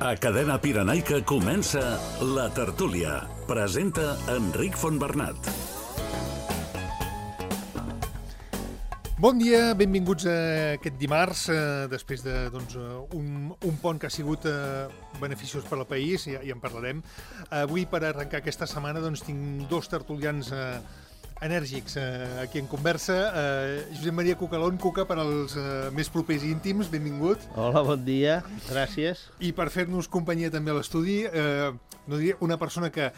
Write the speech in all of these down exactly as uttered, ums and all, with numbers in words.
A Cadena Pirenaica comença La Tertúlia. Presenta Enric Fontbernat. Bon dia, benvinguts a aquest dimarts, eh, després de doncs, un, un pont que ha sigut eh, beneficiós per al país, ja, ja en parlarem. Avui, per arrencar aquesta setmana, doncs, tinc dos tertulians eh, enèrgics eh, aquí en conversa. Eh, Josep Maria Cucalón, Cuca, per als eh, més propers i íntims, benvingut. Hola, bon dia, gràcies. I per fer-nos companyia també a l'estudi, eh, no diria una persona que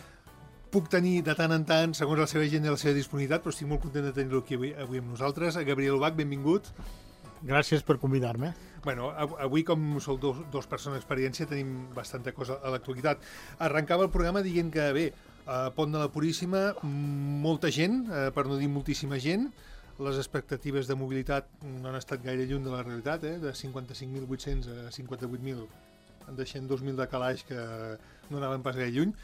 puc tenir de tant en tant, segons la seva agenda i la seva disponibilitat, però estic molt content de tenir-lo aquí avui, avui amb nosaltres. Gabriel Ubach, benvingut. Gràcies per convidar-me. Bueno, avui, com sou dos, dos persones d'experiència, tenim bastanta cosa a l'actualitat. Arrencava el programa dient que, bé, a Pont de la Puríssima, molta gent, eh, per no dir moltíssima gent, les expectatives de mobilitat no han estat gaire lluny de la realitat, eh, de cinquanta-cinc mil vuit-cents a cinquanta-vuit mil, deixant dos mil de calaix que no anaven pas gaire lluny.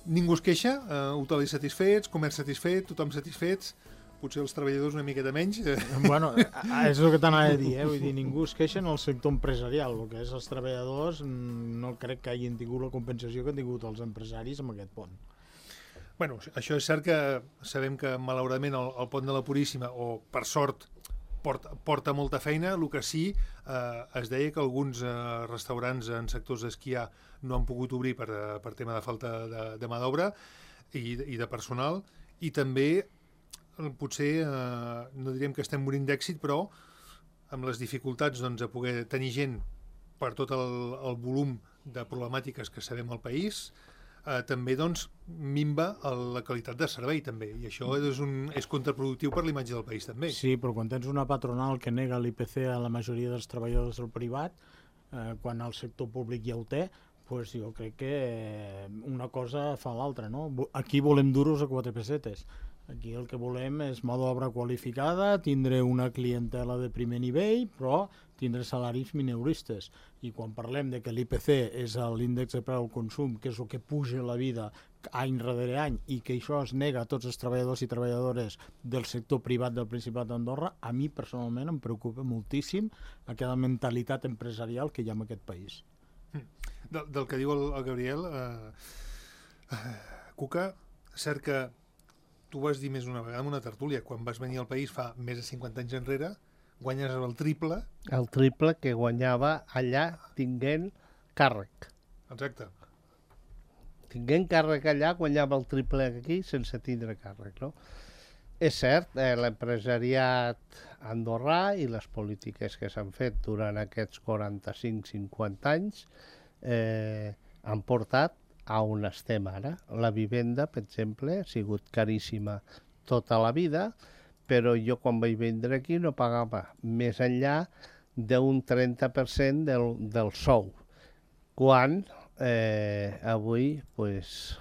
Ningú es queixa, eh, hotelis satisfets, comerç satisfet, tothom satisfets, potser els treballadors una miqueta menys. Bueno, és el que t'anava a dir, eh? Vull dir, ningú es queixa en el sector empresarial, el que és els treballadors no crec que hagin tingut la compensació que han tingut els empresaris amb aquest pont. Bueno, això és cert que sabem que malauradament el, el pont de la Puríssima, o per sort, porta, porta molta feina. El que sí, eh, es deia que alguns eh, restaurants en sectors d'esquiar no han pogut obrir per, per tema de falta de, de mà d'obra i, i de personal, i també potser, eh, no diríem que estem morint d'èxit, però amb les dificultats doncs, de poder tenir gent per tot el, el volum de problemàtiques que sabem al país, eh, també doncs, minva la qualitat de servei també, i això és, un, és contraproductiu per l'imatge del país també. Sí, però quan tens una patronal que nega l'I P C a la majoria dels treballadors del privat, eh, quan el sector públic ja ho té, pues jo crec que una cosa fa l'altra, no? Aquí volem duros a quatre pessetes. Aquí el que volem és mà d'obra qualificada, tindre una clientela de primer nivell, però tindre salaris mineuristes. I quan parlem de que l'I P C és l'índex de preu al consum, que és el que puja la vida any rere any, i que això es nega a tots els treballadors i treballadores del sector privat del Principat d'Andorra, a mi personalment em preocupa moltíssim aquella mentalitat empresarial que hi ha en aquest país. Del, del que diu el, el Gabriel, eh, eh, Cuca, cert que tu vas dir més una vegada en una tertúlia, quan vas venir al país fa més de cinquanta anys enrere, guanyes el triple. El triple que guanyava allà tinguent càrrec. Exacte. Tinguent càrrec allà, guanyava el triple aquí sense tindre càrrec, no? És cert, eh, l'empresariat andorrà i les polítiques que s'han fet durant aquests quaranta-cinc cinquanta anys eh, han portat a on estem ara. La vivenda, per exemple, ha sigut caríssima tota la vida, però jo quan vaig vindre aquí no pagava més enllà d'un trenta per cent del, del sou, quan eh, avui pues,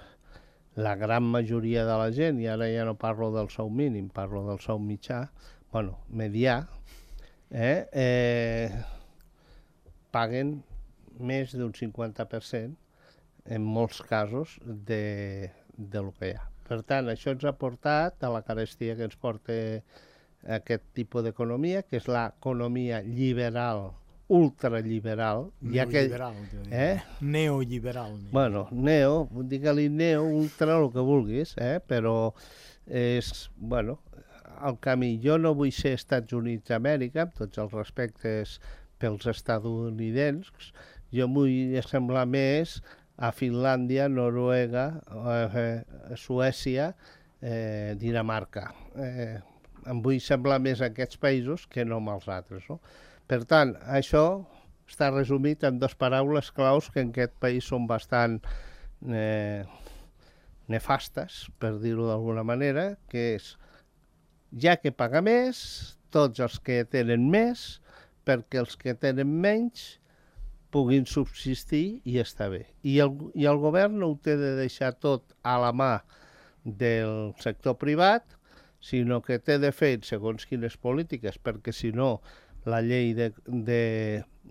la gran majoria de la gent, i ara ja no parlo del sou mínim, parlo del sou mitjà, bueno, medià, eh, eh, paguen més d'un cinquanta per cent en molts casos de, de lo que hi ha. Per tant, això ens ha portat a la carestia que ens porta aquest tipus d'economia, que és l'economia liberal, ultraliberal. Neoliberal, que, eh? Neoliberal. Bueno, neo, digue-li neo, ultra, el que vulguis, eh? Però és, bueno, el camí. Jo no vull ser Estats Units d'Amèrica, amb tots els respectes pels estatunidencs, jo vull semblar més a Finlàndia, Noruega, eh, Suècia, eh, Dinamarca. Eh, em vull semblar més a aquests països que no amb els altres, no? Per tant, això està resumit en dues paraules claus que en aquest país són bastant eh, nefastes, per dir-ho d'alguna manera, que és, ja que paga més, tots els que tenen més, perquè els que tenen menys puguin subsistir i estar bé. I el, i el govern no ho té de deixar tot a la mà del sector privat, sinó que té de fer segons quines polítiques, perquè si no la llei de, de,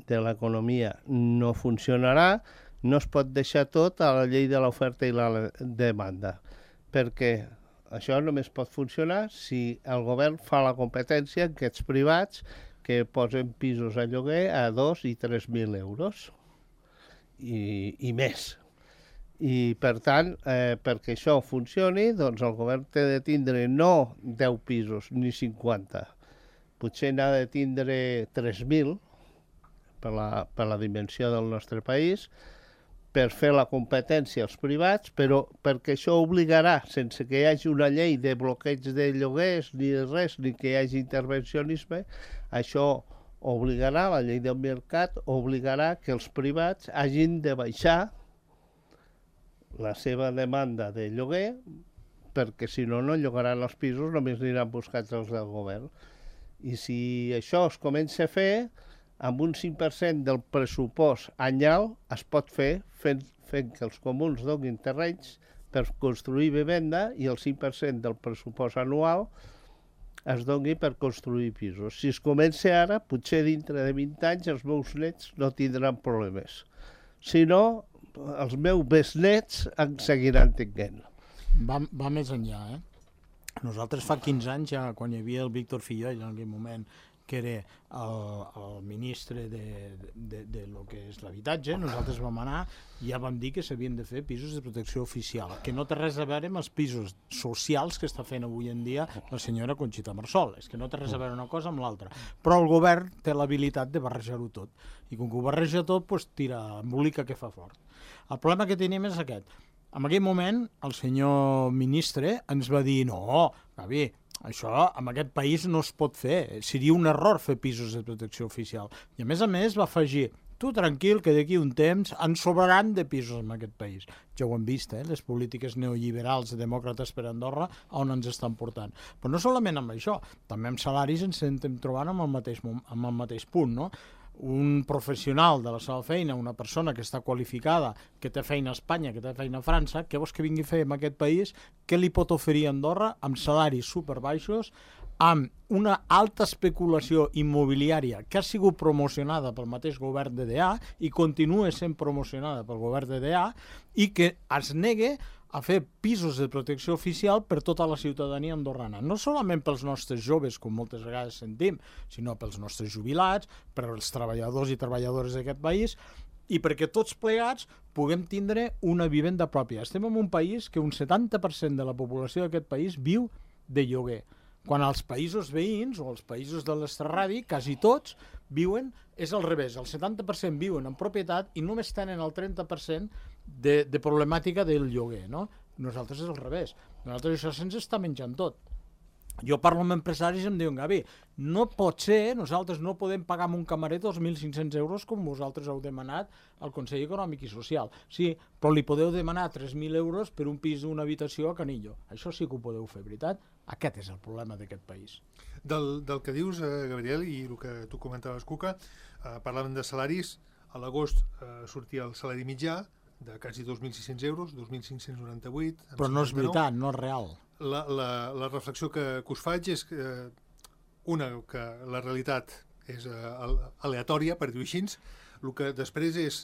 de l'economia no funcionarà, no es pot deixar tot a la llei de l'oferta i la demanda, perquè això només pot funcionar si el govern fa la competència en aquests privats que posen pisos a lloguer a dos i tres mil euros. i, i més. I, per tant, eh, perquè això funcioni, doncs el govern té de tindre no deu pisos ni cinquanta. Potser n'ha de tindre tres mil per la, per la dimensió del nostre país, per fer la competència als privats, però perquè això obligarà, sense que hi hagi una llei de bloqueig de lloguers ni de res, ni que hi hagi intervencionisme, això obligarà, la llei del mercat obligarà que els privats hagin de baixar la seva demanda de lloguer, perquè si no, no llogaran els pisos, només aniran buscats els del govern. I si això es comença a fer, amb un cinc per cent del pressupost anyal es pot fer fent, fent que els comuns donin terrenys per construir vivenda i el cinc per cent del pressupost anual es doni per construir pisos. Si es comença ara, potser dintre de vint anys els meus nets no tindran problemes. Si no, els meus besnets en seguiran tinguent. Va, va més enllà, eh? Nosaltres fa quinze anys, ja, quan hi havia el Víctor Fillol, en aquell moment, que era el, el ministre de, de, de lo que és l'habitatge, nosaltres vam anar i ja vam dir que s'havien de fer pisos de protecció oficial, que no té res a veure amb els pisos socials que està fent avui en dia la senyora Conxita Marsol, és que no té res a veure una cosa amb l'altra. Però el govern té l'habilitat de barrejar-ho tot, i com que ho barreja tot, doncs tira embolica que fa fort. El problema que tenim és aquest. En aquell moment, el senyor ministre ens va dir no, Gavi, això en aquest país no es pot fer, seria un error fer pisos de protecció oficial. I a més a més va afegir, tu tranquil que d'aquí un temps en sobraran de pisos en aquest país. Ja ho hem vist, eh? Les polítiques neoliberals demòcrates per Andorra on ens estan portant. Però no solament amb això, també amb salaris ens estem trobant amb el mateix, amb el mateix punt, no? Un professional de la seva feina, una persona que està qualificada, que té feina a Espanya, que té feina a França, què vols que vingui a fer en aquest país? Què li pot oferir a Andorra amb salaris superbaixos, amb una alta especulació immobiliària que ha sigut promocionada pel mateix govern de D A i continua sent promocionada pel govern de D A i que es negue a fer pisos de protecció oficial per tota la ciutadania andorrana. No solament pels nostres joves, com moltes vegades sentim, sinó pels nostres jubilats, per als treballadors i treballadores d'aquest país, i perquè tots plegats puguem tindre una vivenda pròpia. Estem en un país que un setanta per cent de la població d'aquest país viu de lloguer, quan als països veïns o als països de l'estrarradi, quasi tots, viuen, és al revés, el setanta per cent viuen en propietat i només tenen el trenta per cent de, de problemàtica del lloguer, no? Nosaltres és al revés, nosaltres això se'ns està menjant tot. Jo parlo amb empresaris i em diuen, Gavi, no pot ser, nosaltres no podem pagar amb un camarer dos mil cinc-cents euros com vosaltres heu demanat al Consell Econòmic i Social. Sí, però li podeu demanar tres mil euros per un pis d'una habitació a Canillo. Això sí que ho podeu fer, veritat? Aquest és el problema d'aquest país. Del, del que dius, eh, Gabriel, i el que tu comentaves, Cuca, eh, parlàvem de salaris. A l'agost eh, sortia el salari mitjà de quasi dos mil sis-cents euros, dos mil cinc-cents noranta-vuit. Però no és veritat, no és real. La, la, la reflexió que, que us faig és que, una, que la realitat és uh, aleatòria, per dir-ho així, el que després és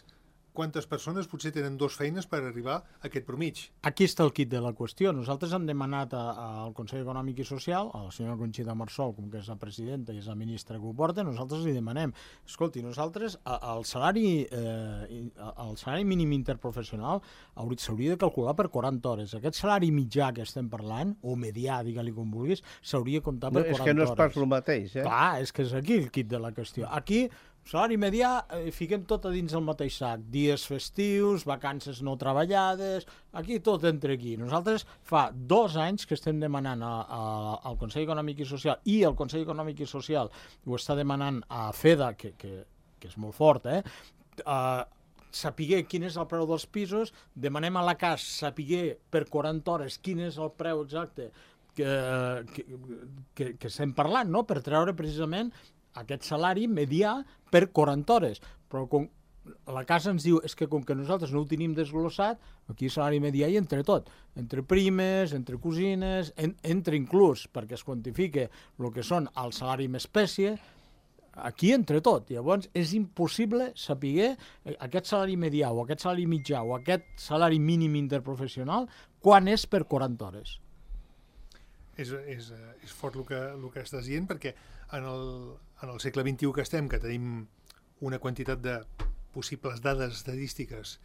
quantes persones potser tenen dues feines per arribar a aquest promig. Aquí està el quid de la qüestió. Nosaltres hem demanat a, a, al Consell Econòmic i Social, a la senyora Conxita Marsol, com que és la presidenta i és la ministra que ho porta, nosaltres li demanem, escolti, nosaltres a, el, salari, eh, el salari mínim interprofessional s'hauria de calcular per quaranta hores. Aquest salari mitjà que estem parlant, o medià, digue-li com vulguis, s'hauria de comptar per no, quaranta hores. És que no és pas el mateix, eh? Clar, és que és aquí el quid de la qüestió. Aquí salari medià, eh, fiquem tot a dins el mateix sac. Dies festius, vacances no treballades, aquí tot entra aquí. Nosaltres fa dos anys que estem demanant a, a, al Consell Econòmic i Social, i el Consell Econòmic i Social ho està demanant a FEDA, que, que, que és molt fort, eh? Uh, sapiguer quin és el preu dels pisos, demanem a la C A S sapiguer per quaranta hores quin és el preu exacte que, que, que, que estem parlant, no? Per treure precisament aquest salari medià per quaranta hores. Però com la casa ens diu és que com que nosaltres no ho tenim desglossat, aquí salari medià hi entre tot, entre primes, entre cosines, en, entre inclús, perquè es quantifique el que són el salari amb espècie, aquí entre tot. Llavors és impossible saber aquest salari medià o aquest salari mitjà o aquest salari mínim interprofessional quan és per quaranta hores. És, és, és fort el que, el que estàs dient, perquè en el, en el segle vint-i-u que estem, que tenim una quantitat de possibles dades estadístiques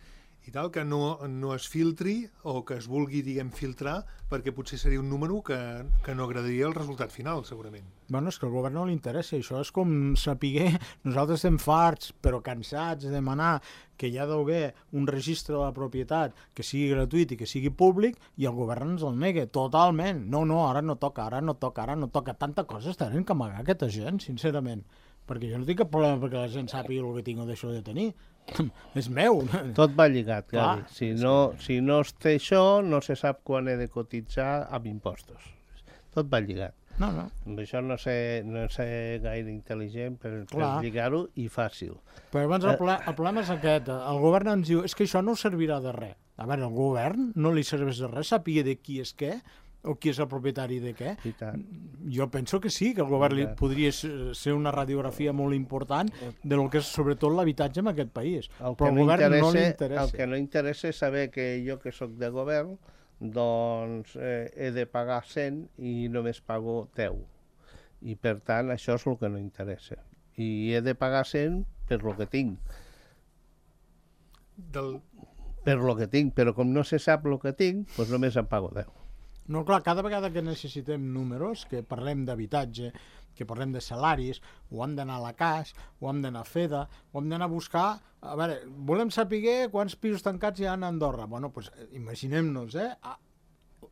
i tal, que no, no es filtri o que es vulgui, diguem, filtrar, perquè potser seria un número que, que no agradaria el resultat final, segurament. Bueno, és que al govern no li interessa, això és com saber, nosaltres estem farts, però cansats de demanar que hi ha d'haver un registre de la propietat que sigui gratuït i que sigui públic, i el govern ens el nega totalment. No, no, ara no toca, ara no toca, ara no toca. Tanta cosa tenen que amagar aquesta gent, sincerament. Perquè jo no tinc cap problema perquè la gent sàpiga el que tinc o deixo de tenir. És meu. Tot va lligat, Clar, Gavi. Si no, si no es té això, no se sap quan he de cotitzar amb impostos. Tot va lligat. No, no. Amb això no sé, no sé gaire intel·ligent per, per Clar. lligar-ho i fàcil. Però llavors el, ple, el problema és aquest. El govern ens diu, és que això no servirà de res. A veure, el govern no li serveix de res, sàpiga de qui és què, o qui és el propietari de què. I tant. Jo penso que sí, que el govern li podria ser una radiografia molt important de lo que és sobretot l'habitatge en aquest país. El Però que, al no govern no li interessa, interessa. el que no interessa és saber que jo, que sóc de govern, doncs eh, he de pagar cent i només pago deu. I per tant, això és el que no interessa. I he de pagar cent per lo que tinc. Del... Per lo que tinc, però com no se sap el que tinc, doncs només em pago deu. No, clar, cada vegada que necessitem números, que parlem d'habitatge, que parlem de salaris, o hem d'anar a la C A S, o hem d'anar a FEDA, o hem d'anar a buscar... A veure, volem saber quants pisos tancats hi ha a Andorra. Bueno, doncs imaginem-nos, eh?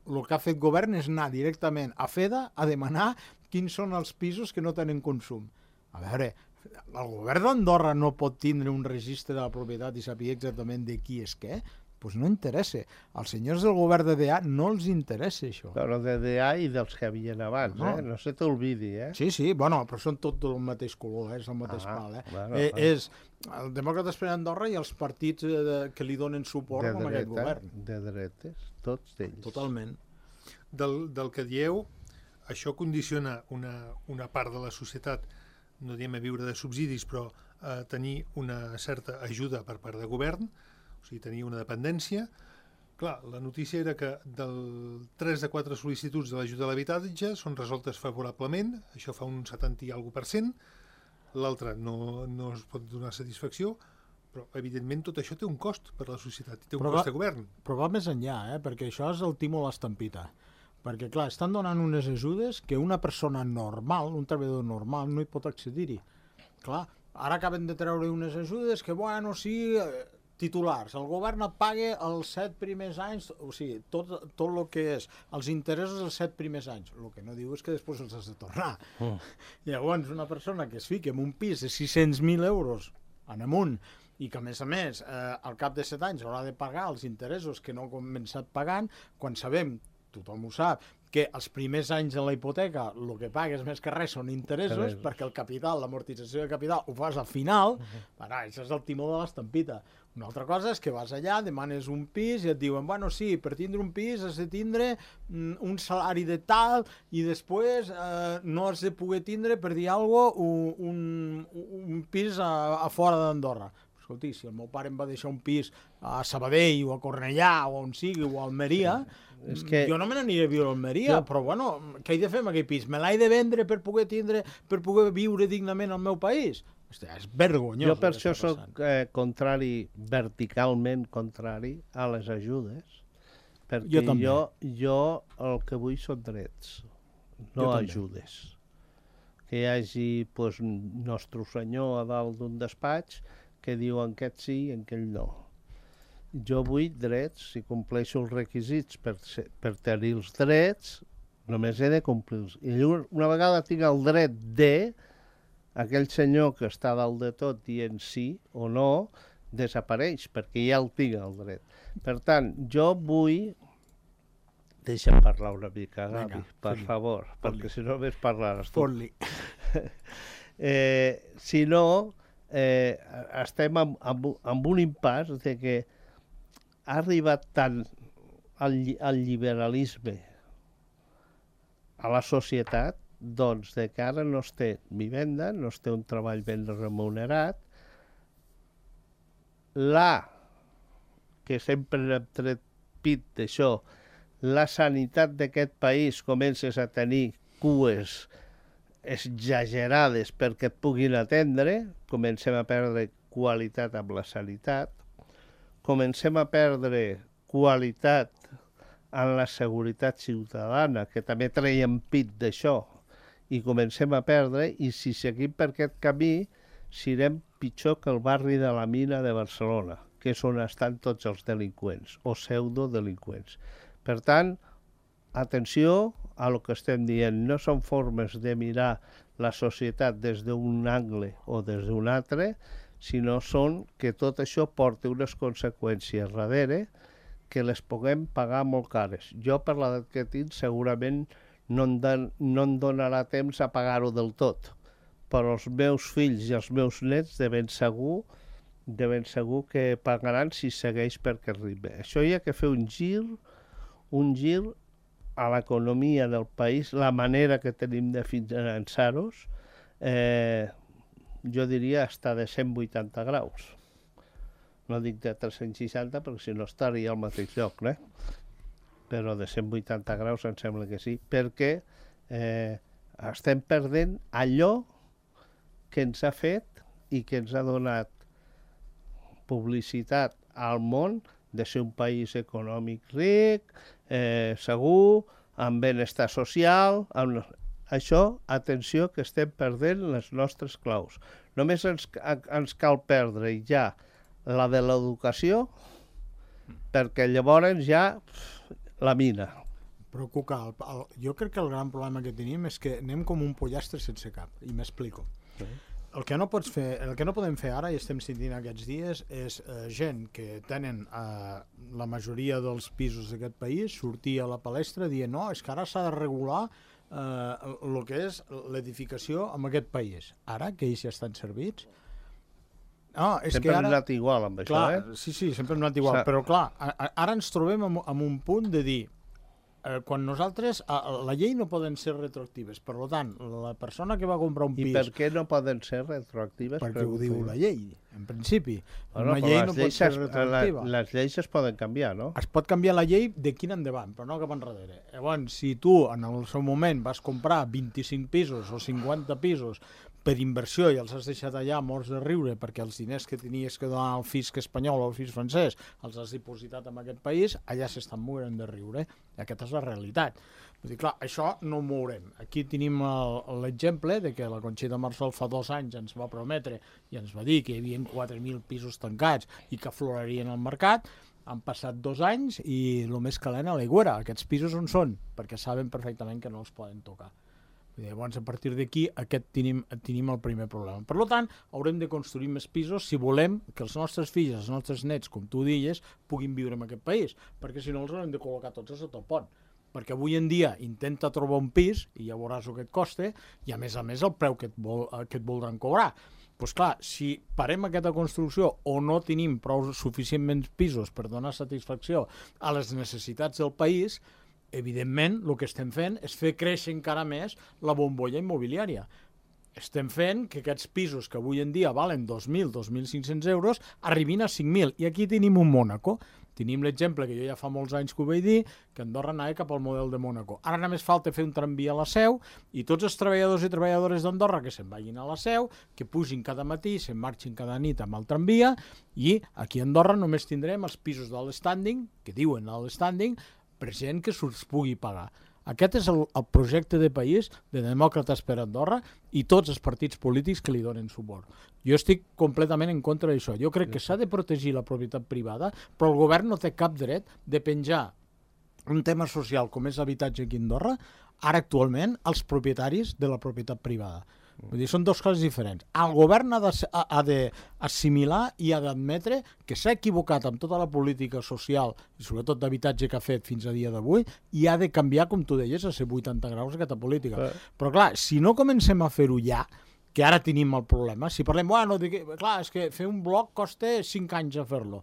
El que ha fet govern és anar directament a FEDA a demanar quins són els pisos que no tenen consum. A veure, el govern d'Andorra no pot tindre un registre de la propietat i saber exactament de qui és què? Doncs no interessa. Als senyors del govern de D A no els interessa això. Però de D A i dels que havien abans, No. eh? No se t'olvidi, eh? Sí, sí, bueno, però són tot del mateix color, eh? És el mateix Ah, pal, eh? bueno, eh bueno. és el Demòcrates per Andorra i els partits eh, de, que li donen suport De a aquest dreta, govern. de dretes, tots ells. Totalment. Del, del que dieu, això condiciona una, una part de la societat, no diem a viure de subsidis, però a tenir una certa ajuda per part de govern, o sigui, tenir una dependència. Clar, la notícia era que del tres de quatre sol·licituds de l'ajuda a l'habitatge són resoltes favorablement, això fa un setanta i alguna per cent, l'altre no, no es pot donar satisfacció, però evidentment tot això té un cost per a la societat, té un Però cost va- de govern. Però va més enllà, eh? Perquè això és el timo a l'estampita. Perquè, clar, estan donant unes ajudes que una persona normal, un treballador normal, no hi pot accedir-hi. Clar, ara acaben de treure unes ajudes que, bueno, sí, eh, titulars. El govern et paga els set primers anys, o sigui, tot, tot el que és els interessos dels set primers anys. El que no diu és que després els has de tornar. Mm. Llavors, una persona que es fica en un pis de sis-cents mil euros en amunt i que, a més a més, eh, al cap de set anys haurà de pagar els interessos que no ha començat pagant, quan sabem, tothom ho sap, que els primers anys de la hipoteca el que pagues més que res són interessos, Interessos. perquè el capital, l'amortització de capital ho fas al final. Uh-huh. Això és el timó de l'estampita. Una altra cosa és que vas allà, demanes un pis i et diuen, bueno, sí, per tindre un pis has de tindre mm, un salari de tal i després eh, no has de poder tindre, per dir alguna cosa, un, un, un pis a, a fora d'Andorra. Escolti, si el meu pare em va deixar un pis a Sabadell o a Cornellà o on sigui, o a Almeria, És que- jo no me n'aniré a viure a Almeria, Jo- però bueno, què he de fer amb aquell pis? Me l'he de vendre per poder tindre, per poder viure dignament al meu país? Hòstia, és vergonyós. Jo per el que això està sóc passant. eh, contrari, verticalment contrari a les ajudes, perquè Jo també. jo, jo el que vull són drets, Jo no també. ajudes. Que hi hagi pues, nostre senyor a dalt d'un despatx que diu en aquest sí i en aquell no. Jo vull drets, si compleixo els requisits per, ser, per tenir els drets, només he de complir-los. I llavors, una vegada tinc el dret de, aquell senyor que està dalt de tot dient sí o no, desapareix, perquè ja el tinc el dret. Per tant, jo vull... Deixa'm parlar una mica, Gavi, Vinga, per fot-li, favor, fot-li. perquè si no només parlaràs tu. Fot-li. Eh, si no, eh, estem amb, amb, amb un impàs de que ha arribat tant el, lli- el liberalisme a la societat, doncs, de que ara no es té vivenda, no es té un treball ben remunerat. La, que sempre hem tret pit d'això, la sanitat d'aquest país comences a tenir cues exagerades perquè et puguin atendre, comencem a perdre qualitat amb la sanitat, comencem a perdre qualitat en la seguretat ciutadana, que també traiem pit d'això, i comencem a perdre, i si seguim per aquest camí, serem pitjor que el barri de la Mina de Barcelona, que és on estan tots els delinqüents, o pseudodelinqüents. Per tant, atenció a el que estem dient. No són formes de mirar la societat des d'un angle o des d'un altre, sinó són que tot això porta unes conseqüències darrere que les puguem pagar molt cares. Jo, per l'edat que tinc, segurament no em, dan, no em donarà temps a pagar-ho del tot, però els meus fills i els meus nets de ben segur, de ben segur que pagaran si segueix per aquest ritme. Això hi ha que fer un gir, un gir a l'economia del país, la manera que tenim de finançar-los, eh, jo diria està de cent vuitanta graus. No dic de tres-cents seixanta perquè si no estaria al mateix lloc, eh? Però de cent vuitanta graus em sembla que sí, perquè eh, estem perdent allò que ens ha fet i que ens ha donat publicitat al món de ser un país econòmic ric, eh, segur, amb benestar social. Amb... Això, atenció, que estem perdent les nostres claus. Només ens, ens cal perdre ja la de l'educació, perquè llavors ja la mina. Però, Cuca, el, el, jo crec que el gran problema que tenim és que anem com un pollastre sense cap, i m'explico. Sí. El que no pots fer, el que no podem fer ara, i estem sentint aquests dies, és eh, gent que tenen eh, la majoria dels pisos d'aquest país sortir a la palestra dient no, és que ara s'ha de regular eh, el que és l'edificació en aquest país. Ara, que ells ja estan servits... Ah, és sempre que ara... hem anat igual amb clar, això, eh? Sí, sí, sempre hem anat igual, però clar, ara ens trobem en, en un punt de dir eh, quan nosaltres, eh, la llei no poden ser retroactives, per tant, la persona que va comprar un pis... I per què no poden ser retroactives? Perquè ho diu la llei, en principi. Bueno, una llei no pot ser es, retroactiva. La, les lleis es poden canviar, no? Es pot canviar la llei de quin endavant, però no cap enrere. Llavors, si tu en el seu moment vas comprar vint-i-cinc pisos o cinquanta pisos per inversió i els has deixat allà morts de riure perquè els diners que tenies que donar al fisc espanyol o al fisc francès els has dipositat en aquest país, allà s'estan morint de riure. I aquesta és la realitat. Vull dir, clar, això no ho mourem. Aquí tenim l'exemple de que la Conxita Marsol fa dos anys ens va prometre i ens va dir que hi havia quatre mil pisos tancats i que aflorarien al mercat. Han passat dos anys i el més calent a l'aigüera. Aquests pisos on són? Perquè saben perfectament que no els poden tocar. Llavors, a partir d'aquí, aquest tenim, tenim el primer problema. Per tant, haurem de construir més pisos si volem que els nostres fills, els nostres nets, com tu dius, puguin viure en aquest país, perquè si no els haurem de col·locar tots a sota el pont. Perquè avui en dia intenta trobar un pis, i ja veuràs el que et costa, i a més a més el preu que et, vol, que et voldran cobrar. Doncs clar, si parem aquesta construcció o no tenim prou suficientment pisos per donar satisfacció a les necessitats del país, evidentment, el que estem fent és fer créixer encara més la bombolla immobiliària. Estem fent que aquests pisos que avui en dia valen dos mil, dos mil cinc-cents euros arribin a cinc mil. I aquí tenim un Mònaco. Tenim l'exemple que jo ja fa molts anys que ho vaig dir, que Andorra anava cap al model de Mònaco. Ara només falta fer un tramvia a la Seu i tots els treballadors i treballadores d'Andorra que se'n vagin a la Seu, que pugin cada matí, se'n marxin cada nit amb el tramvia, i aquí a Andorra només tindrem els pisos de l'standing, que diuen a l'standing, per gent que se'ls pugui pagar. Aquest és el, el projecte de país de Demòcrates per Andorra i tots els partits polítics que li donen suport. Jo estic completament en contra d'això. Jo crec que s'ha de protegir la propietat privada, però el govern no té cap dret de penjar un tema social com és l'habitatge aquí a Andorra, ara actualment, als propietaris de la propietat privada. Vull dir, són dues coses diferents. El govern ha d'assimilar i ha d'admetre que s'ha equivocat amb tota la política social i sobretot d'habitatge que ha fet fins a dia d'avui i ha de canviar, com tu deies, a ser vuitanta graus aquesta política. Eh. Però clar, si no comencem a fer-ho ja, que ara tenim el problema, si parlem, bueno, de que, clar, és que fer un bloc costa cinc anys a fer-lo,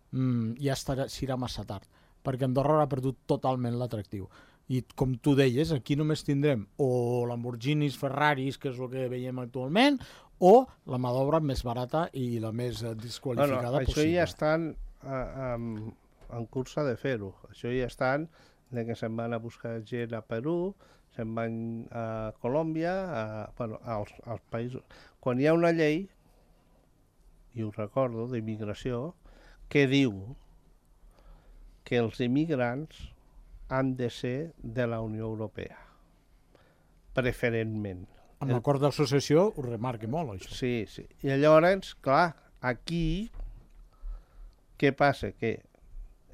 mm, ja estarà, serà massa tard, perquè Andorra ha perdut totalment l'atractiu. I com tu deies, aquí només tindrem o Lamborghinis, Ferraris, que és el que veiem actualment, o la mà d'obra més barata i la més desqualificada bueno, possible. Això ja estan uh, um, en cursa de fer-ho. Això ja estan de que se'n van a buscar gent a Perú, se'n van a Colòmbia, a, bueno, als, als països. Quan hi ha una llei i ho recordo, d'immigració, que diu que els immigrants han de ser de la Unió Europea, preferentment. Amb l'acord d'associació ho remarca molt, això. Sí, sí. I llavors, clar, aquí, què passa? Que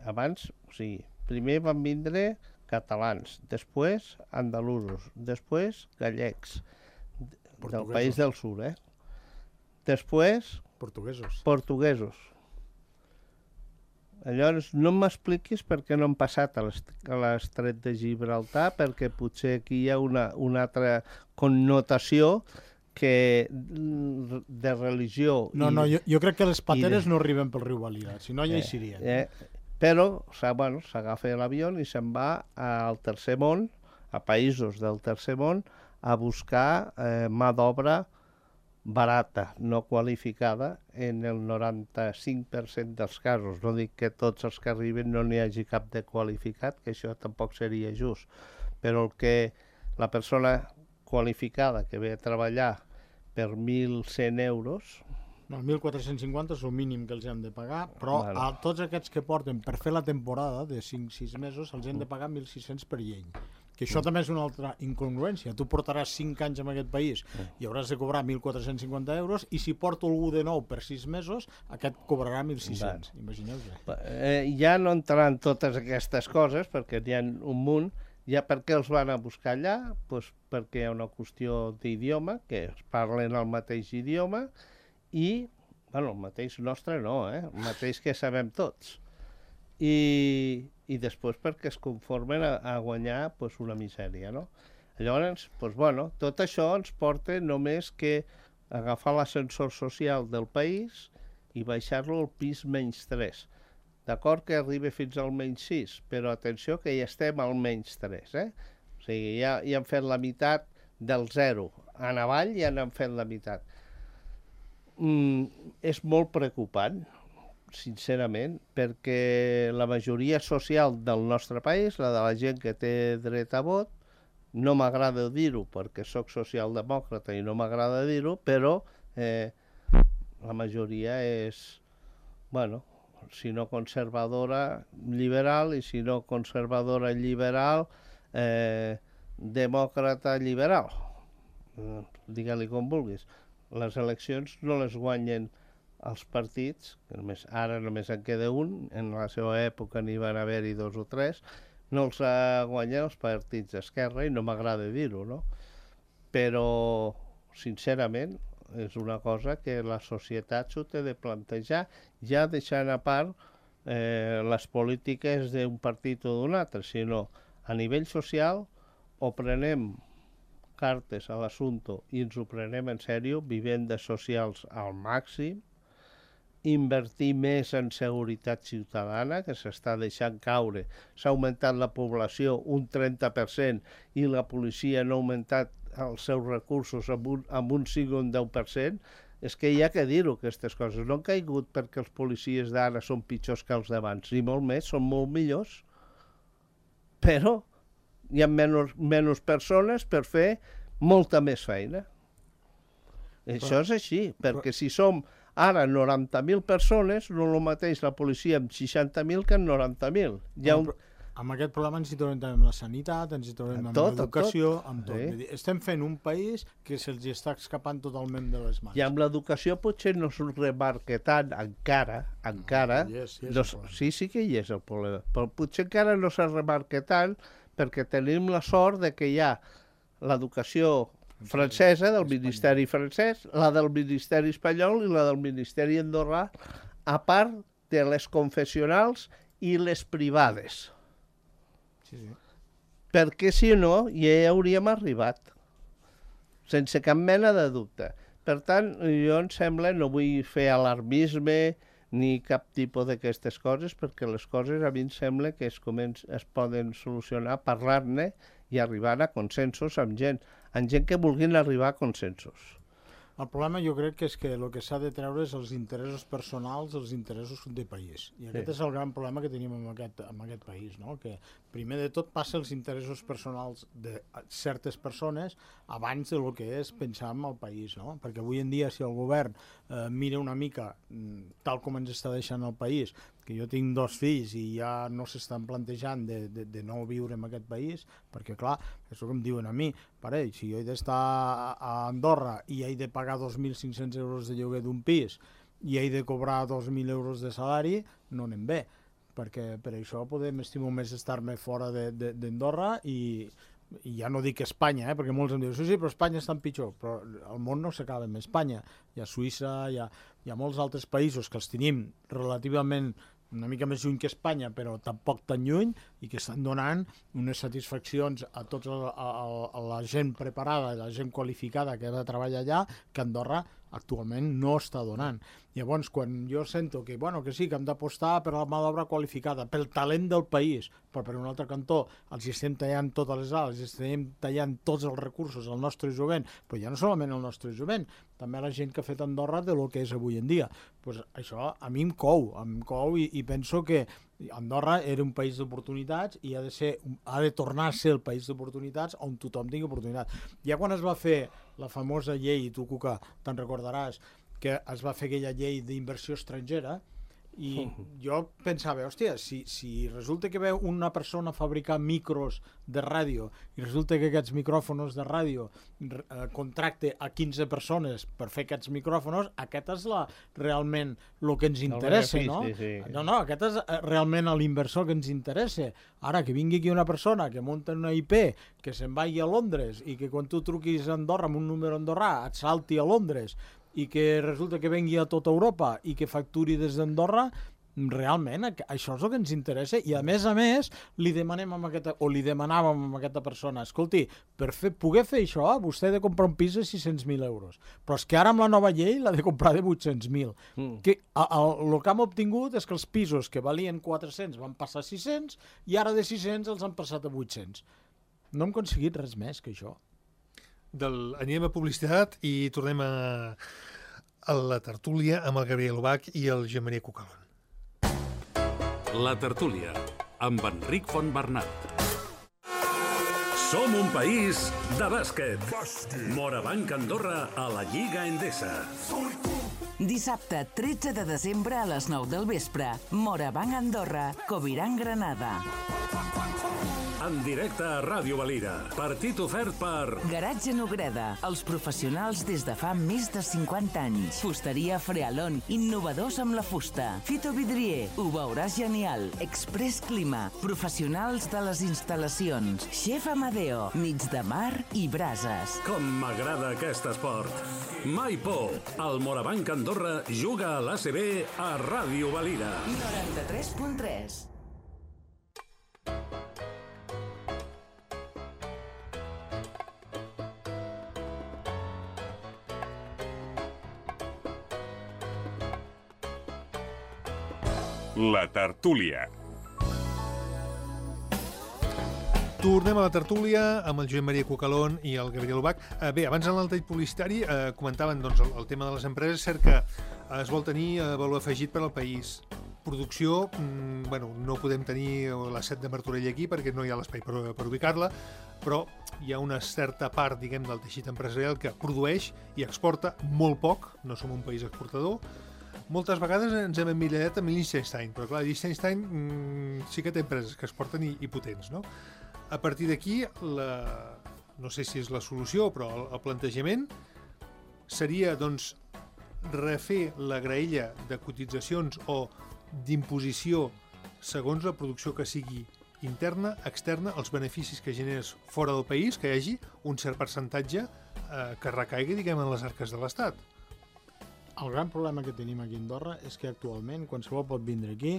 abans, o sigui, primer van vindre catalans, després andalusos, després gallecs, del país del sud, eh? Després portuguesos. portuguesos. Llavors, no m'expliquis per què no han passat a l'estret de Gibraltar, perquè potser aquí hi ha una, una altra connotació que de religió... No, i, no, jo, jo crec que les pateres de... no arriben pel riu Valira, si no ja hi serien. Eh, eh, però bueno, s'agafa l'avió i se'n va al tercer món, a països del tercer món, a buscar eh, mà d'obra barata, no qualificada, en el noranta-cinc per cent dels casos. No dic que tots els que arriben no n'hi hagi cap de qualificat, que això tampoc seria just, però el que la persona qualificada que ve a treballar per mil cent euros... No, mil quatre-cents cinquanta és el mínim que els hem de pagar, però Bueno. a tots aquests que porten per fer la temporada de cinc sis mesos els hem de pagar mil sis-cents per llei. Que això també és una altra incongruència. Tu portaràs cinc anys en aquest país i hauràs de cobrar mil quatre-cents cinquanta euros, i si porto algú de nou per sis mesos, aquest cobrarà mil sis-cents. Imagineu-vos. Eh, ja no entraran totes aquestes coses, perquè n'hi ha un munt. Ja per què els van a buscar allà? Pues perquè hi ha una qüestió d'idioma, que es parlen el mateix idioma, i, bueno, el mateix nostre no, eh? El mateix que sabem tots. I, i després perquè es conformen a, a guanyar pues, una misèria, no? Llavors, pues, bueno, tot això ens porta només que agafar l'ascensor social del país i baixar-lo al pis menys tres. D'acord que arribi fins al menys sis, però atenció que ja estem al menys tres, eh? O sigui, ja, ja han fet la meitat del zero. En avall ja n'han fet la meitat. Mm, és molt preocupant, sincerament, perquè la majoria social del nostre país, la de la gent que té dret a vot, no m'agrada dir-ho perquè sóc socialdemòcrata i no m'agrada dir-ho, però eh, la majoria és, bueno, si no conservadora, liberal, i si no conservadora, liberal, eh, demòcrata, liberal. Eh, digue-li com vulguis. Les eleccions no les guanyen els partits, que només, ara només en queda un, en la seva època n'hi van haver-hi dos o tres, no els guanyen els partits d'esquerra, i no m'agrada dir-ho, no? Però, sincerament, és una cosa que la societat s'ho té de plantejar, ja deixant a part eh, les polítiques d'un partit o d'un altre, sinó a nivell social o prenem cartes a l'assumpte i ens ho prenem en sèrio, vivendes socials al màxim, invertir més en seguretat ciutadana, que s'està deixant caure. S'ha augmentat la població un trenta per cent i la policia no ha augmentat els seus recursos amb un, amb un cinc o un deu per cent. És que hi ha que dir-ho, aquestes coses. No han caigut perquè els policies d'ara són pitjors que els d'abans, ni molt més, són molt millors. Però hi ha menys, menys persones per fer molta més feina. Això és així, perquè si som ara noranta mil persones, no el mateix la policia amb seixanta mil que amb noranta mil. Hi ha un... Amb aquest problema ens hi trobem també amb la sanitat, ens hi trobem amb l'educació, amb tot. Sí. Estem fent un país que se'ls està escapant totalment de les mans. I amb l'educació potser no s'ho remarca tant, encara, encara... No, yes, yes, no, sí, sí que hi és el problema, però potser encara no se remarca tant perquè tenim la sort de que hi ha l'educació francesa del Ministeri francès, la del Ministeri espanyol i la del Ministeri andorrà, a part de les confessionals i les privades. Sí, sí. Perquè si no, ja hi hauríem arribat, sense cap mena de dubte. Per tant, jo em sembla, no vull fer alarmisme ni cap tipus d'aquestes coses, perquè les coses a mi em sembla que es, començ, es poden solucionar parlant-ne i arribant a consensos amb gent, amb gent que vulguin arribar a consensos. El problema jo crec que és que el que s'ha de treure és els interessos personals, els interessos de país. I aquest sí. és el gran problema que tenim en aquest, en aquest país, no? Que primer de tot passa els interessos personals de certes persones abans de lo que és pensar en el país, no? Perquè avui en dia si el govern eh, mira una mica tal com ens està deixant el país, que jo tinc dos fills i ja no s'estan plantejant de, de, de no viure en aquest país, perquè clar, és el que em diuen a mi, parell, si jo he d'estar a Andorra i he de pagar dos mil cinc-cents euros de lloguer d'un pis i he de cobrar dos mil euros de salari, no anem bé, perquè per això podem estimar més estar-me fora d'Andorra i, i ja no dic Espanya, eh, perquè molts em diuen sí, sí, però Espanya està en pitjor, però el món no s'acaba amb Espanya, hi ha Suïssa, hi ha, hi ha molts altres països que els tenim relativament una mica més lluny que Espanya, però tampoc tan lluny, i que estan donant unes satisfaccions a tota la gent preparada, la gent qualificada que ha de treballar allà, que Andorra actualment no està donant. Llavors, quan jo sento que, bueno, que sí, que hem d'apostar per la mà d'obra qualificada, pel talent del país, però per un altre cantó els estem tallant totes les ales, els estem tallant tots els recursos al nostre jovent, però ja no solament el nostre jovent, també la gent que ha fet Andorra de lo que és avui en dia. Pues això a mi em cou, em cou i, i penso que Andorra era un país d'oportunitats i ha de ser, ha de tornar a ser el país d'oportunitats on tothom tingui oportunitat. Ja quan es va fer la famosa llei, i tu, Cuca, te'n recordaràs, que es va fer aquella llei d'inversió estrangera, i jo pensava, hòstia, si, si resulta que ve una persona a fabricar micros de ràdio i resulta que aquests micròfonos de ràdio eh, contracte a quinze persones per fer aquests micròfonos, aquest és la, realment el que ens interessa, no? Sí. No, no, aquest és realment l'inversor que ens interessa. Ara, que vingui aquí una persona que munta una I P, que se'n vagi a Londres i que quan tu truquis a Andorra amb un número andorrà et salti a Londres i que resulta que vengui a tota Europa i que facturi des d'Andorra, realment això és el que ens interessa i a més a més li demanem a aquesta, o li demanàvem a aquesta persona, escolti, per fer, poder fer això vostè ha de comprar un pis de sis-cents mil euros, però és que ara amb la nova llei l'ha de comprar de vuit-cents mil. Mm. Que, a, a, el que hem obtingut és que els pisos que valien quatre-cents van passar a sis-cents i ara de sis-cents els han passat a vuit-cents. No hem aconseguit res més que això. Del, anem a publicitat i tornem a, a la tertúlia amb el Gabriel Ubach i el Josep Maria Cucalón. La tertúlia, amb Enric Fontbernat. Som un país de bàsquet. Morabanc Andorra a la Lliga Endesa. Dissabte, tretze de desembre a les nou del vespre. Morabanc Andorra, Coviran Granada. En directe a Ràdio Valira. Partit ofert per... Garatge Nogreda, els professionals des de fa més de cinquanta anys. Fusteria Frealon, innovadors amb la fusta. Fito Vidrier, ho veuràs genial. Express Clima, professionals de les instal·lacions. Chef Amadeo, nits de mar i brases. Com m'agrada aquest esport. Mai por. El Morabanc Andorra juga a l'A C B a Ràdio Valira. noranta-tres punt tres. La tertúlia. Tornem a la tertúlia amb el Josep Maria Cucalón i el Gabriel Ubach. Eh, bé, abans en l'altre publicitari eh, comentaven doncs, el, el tema de les empreses. És cert que eh, es vol tenir eh, valor afegit per al país. Producció, mm, bueno, no podem tenir la set de Martorell aquí perquè no hi ha l'espai per, per ubicar-la, però hi ha una certa part, diguem, del teixit empresarial que produeix i exporta molt poc. No som un país exportador. Moltes vegades ens hem emmirallat amb Liechtenstein, però clar, Liechtenstein mmm, sí que té empreses que exporten i, i potents, no? A partir d'aquí, la... no sé si és la solució, però el, el plantejament seria, doncs, refer la graella de cotitzacions o d'imposició segons la producció que sigui interna, externa, els beneficis que generes fora del país, que hi hagi un cert percentatge eh, que recaigui, diguem, en les arques de l'Estat. El gran problema que tenim aquí a Andorra és que actualment qualsevol pot vindre aquí,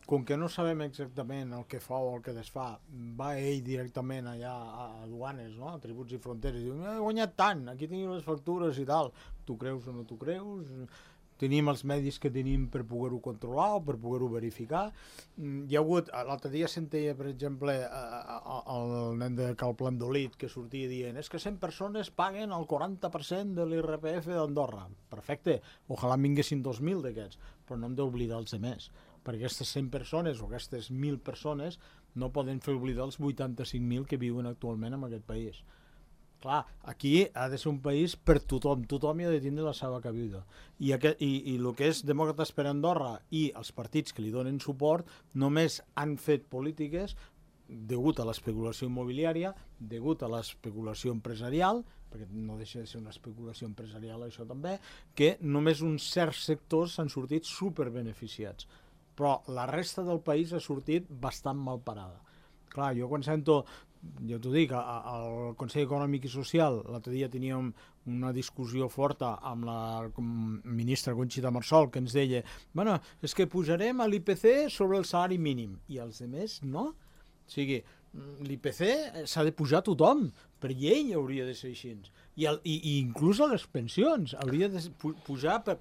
com que no sabem exactament el que fa o el que desfà, va ell directament allà a aduanes, no? A tributs i fronteres, i diu, he guanyat tant, aquí tenim les factures i tal. Tu creus o no tu creus? Tenim els medis que tenim per poder-ho controlar o per poder-ho verificar. Hi ha hagut, l'altre dia sentia, per exemple, el nen de Cal Plandolit que sortia dient és que cent persones paguen el quaranta per cent de l'I R P F d'Andorra. Perfecte, ojalà en vinguessin dos mil d'aquests, però no hem d'oblidar els altres, perquè aquestes cent persones o aquestes mil persones no poden fer oblidar els vuitanta-cinc mil que viuen actualment en aquest país. Clar, aquí ha de ser un país per tothom, tothom hi ha de tindre la seva cabuda. I, aquest, i, i el que és Demòcrates per Andorra i els partits que li donen suport només han fet polítiques degut a l'especulació immobiliària, degut a l'especulació empresarial, perquè no deixa de ser una especulació empresarial això també, que només uns certs sectors s'han sortit superbeneficiats. Però la resta del país ha sortit bastant mal parada. Clar, jo quan sento, jo t'ho dic, al Consell Econòmic i Social, l'altre dia teníem una discussió forta amb la ministra Conxita Marsol, que ens deia, bueno, és que pujarem a l'I P C sobre el salari mínim, i els altres no. O sigui, l'I P C s'ha de pujar a tothom, per llei hauria de ser així. I, el, i, i inclús a les pensions hauria de pujar per,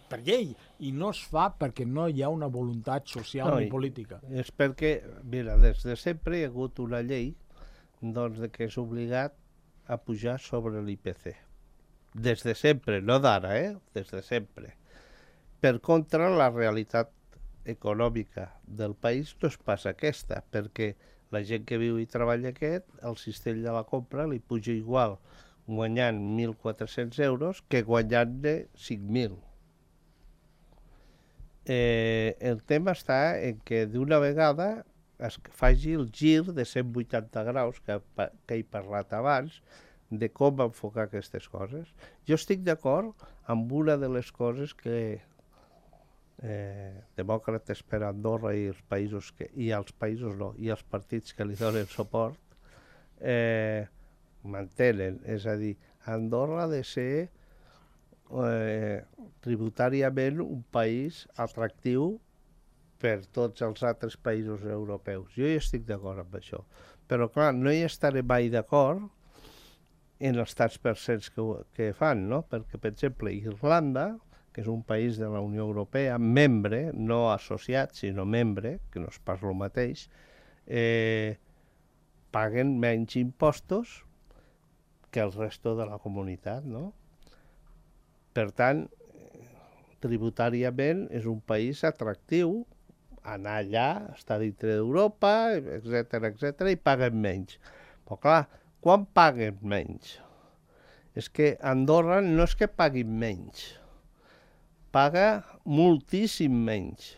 per llei, i no es fa perquè no hi ha una voluntat social no, ni política. És perquè, mira, des de sempre hi ha hagut una llei doncs, de que és obligat a pujar sobre l'I P C. Des de sempre, no d'ara, eh? Des de sempre. Per contra, la realitat econòmica del país no és pas aquesta, perquè la gent que viu i treballa aquest, el cistell de la compra li puja igual guanyant mil quatre-cents euros que guanyant-ne cinc mil. Eh, el tema està en que d'una vegada es faci el gir de cent vuitanta graus que, que he parlat abans de com enfocar aquestes coses. Jo estic d'acord amb una de les coses que eh, Demòcrates per Andorra i els països que, i els països no, i els partits que li donen suport eh, mantenen, és a dir, Andorra ha de ser eh, tributàriament un país atractiu per tots els altres països europeus. Jo hi estic d'acord amb això. Però, clar, no hi estaré mai d'acord en els tants percents que, que fan, no? Perquè, per exemple, Irlanda, que és un país de la Unió Europea, membre, no associat, sinó membre, que no és pas el mateix, eh, paguen menys impostos que el resto de la comunitat, no? Per tant, tributàriament és un país atractiu, anar allà, estar dintre d'Europa, etcètera, etcètera, i paguen menys. Però clar, quan paguen menys? És que Andorra no és que paguin menys, paga moltíssim menys.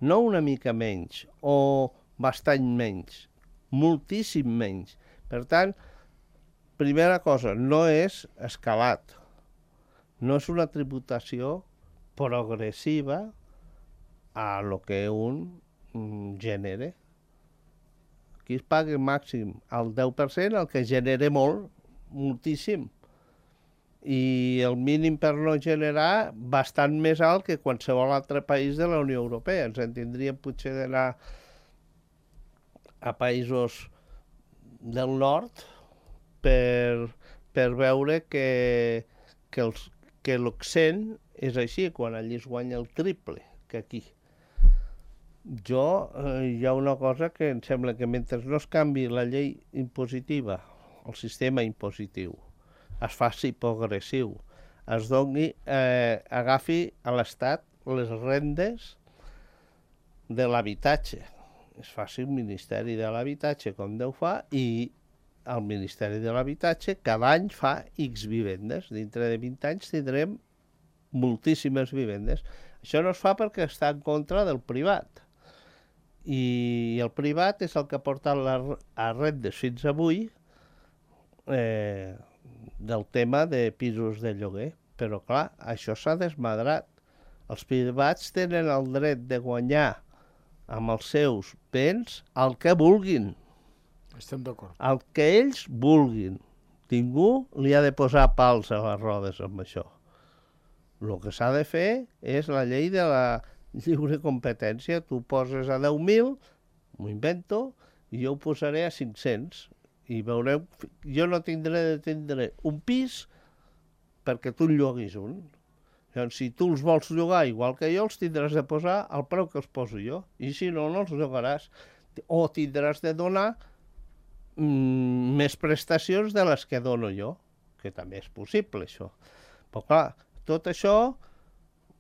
No una mica menys, o bastant menys, moltíssim menys. Per tant, primera cosa, no és escalat, no és una tributació progressiva a lo que un mm, genere. Aquí es paga màxim el deu per cent, el que genere molt, moltíssim. I el mínim per no generar bastant més alt que qualsevol altre país de la Unió Europea. Ens en tindríem potser d'anar a països del nord per, per veure que, que, els, que l'Occent és així, quan allí es guanya el triple que aquí. Jo, eh, hi ha una cosa que em sembla que mentre no es canvi la llei impositiva, el sistema impositiu, es faci progressiu, es doni, eh, agafi a l'Estat les rendes de l'habitatge, es faci un Ministeri de l'Habitatge com Déu fa, i el Ministeri de l'Habitatge cada any fa X vivendes. Dintre de vint anys tindrem moltíssimes vivendes. Això no es fa perquè està en contra del privat. I el privat és el que ha portat les rendes fins avui eh, del tema de pisos de lloguer. Però, clar, això s'ha desmadrat. Els privats tenen el dret de guanyar amb els seus béns el que vulguin. Estem d'acord. El que ells vulguin. Ningú li ha de posar pals a les rodes amb això. El que s'ha de fer és la llei de la lliure competència. Tu poses a deu mil, m'ho invento, i jo ho posaré a cinc-cents. I veureu, jo no tindré de tindre un pis perquè tu en lloguis un. Llavors, si tu els vols llogar igual que jo, els tindràs de posar al preu que els poso jo. I si no, no els llogaràs. O tindràs de donar mm, més prestacions de les que dono jo, que també és possible, això. Però clar, tot això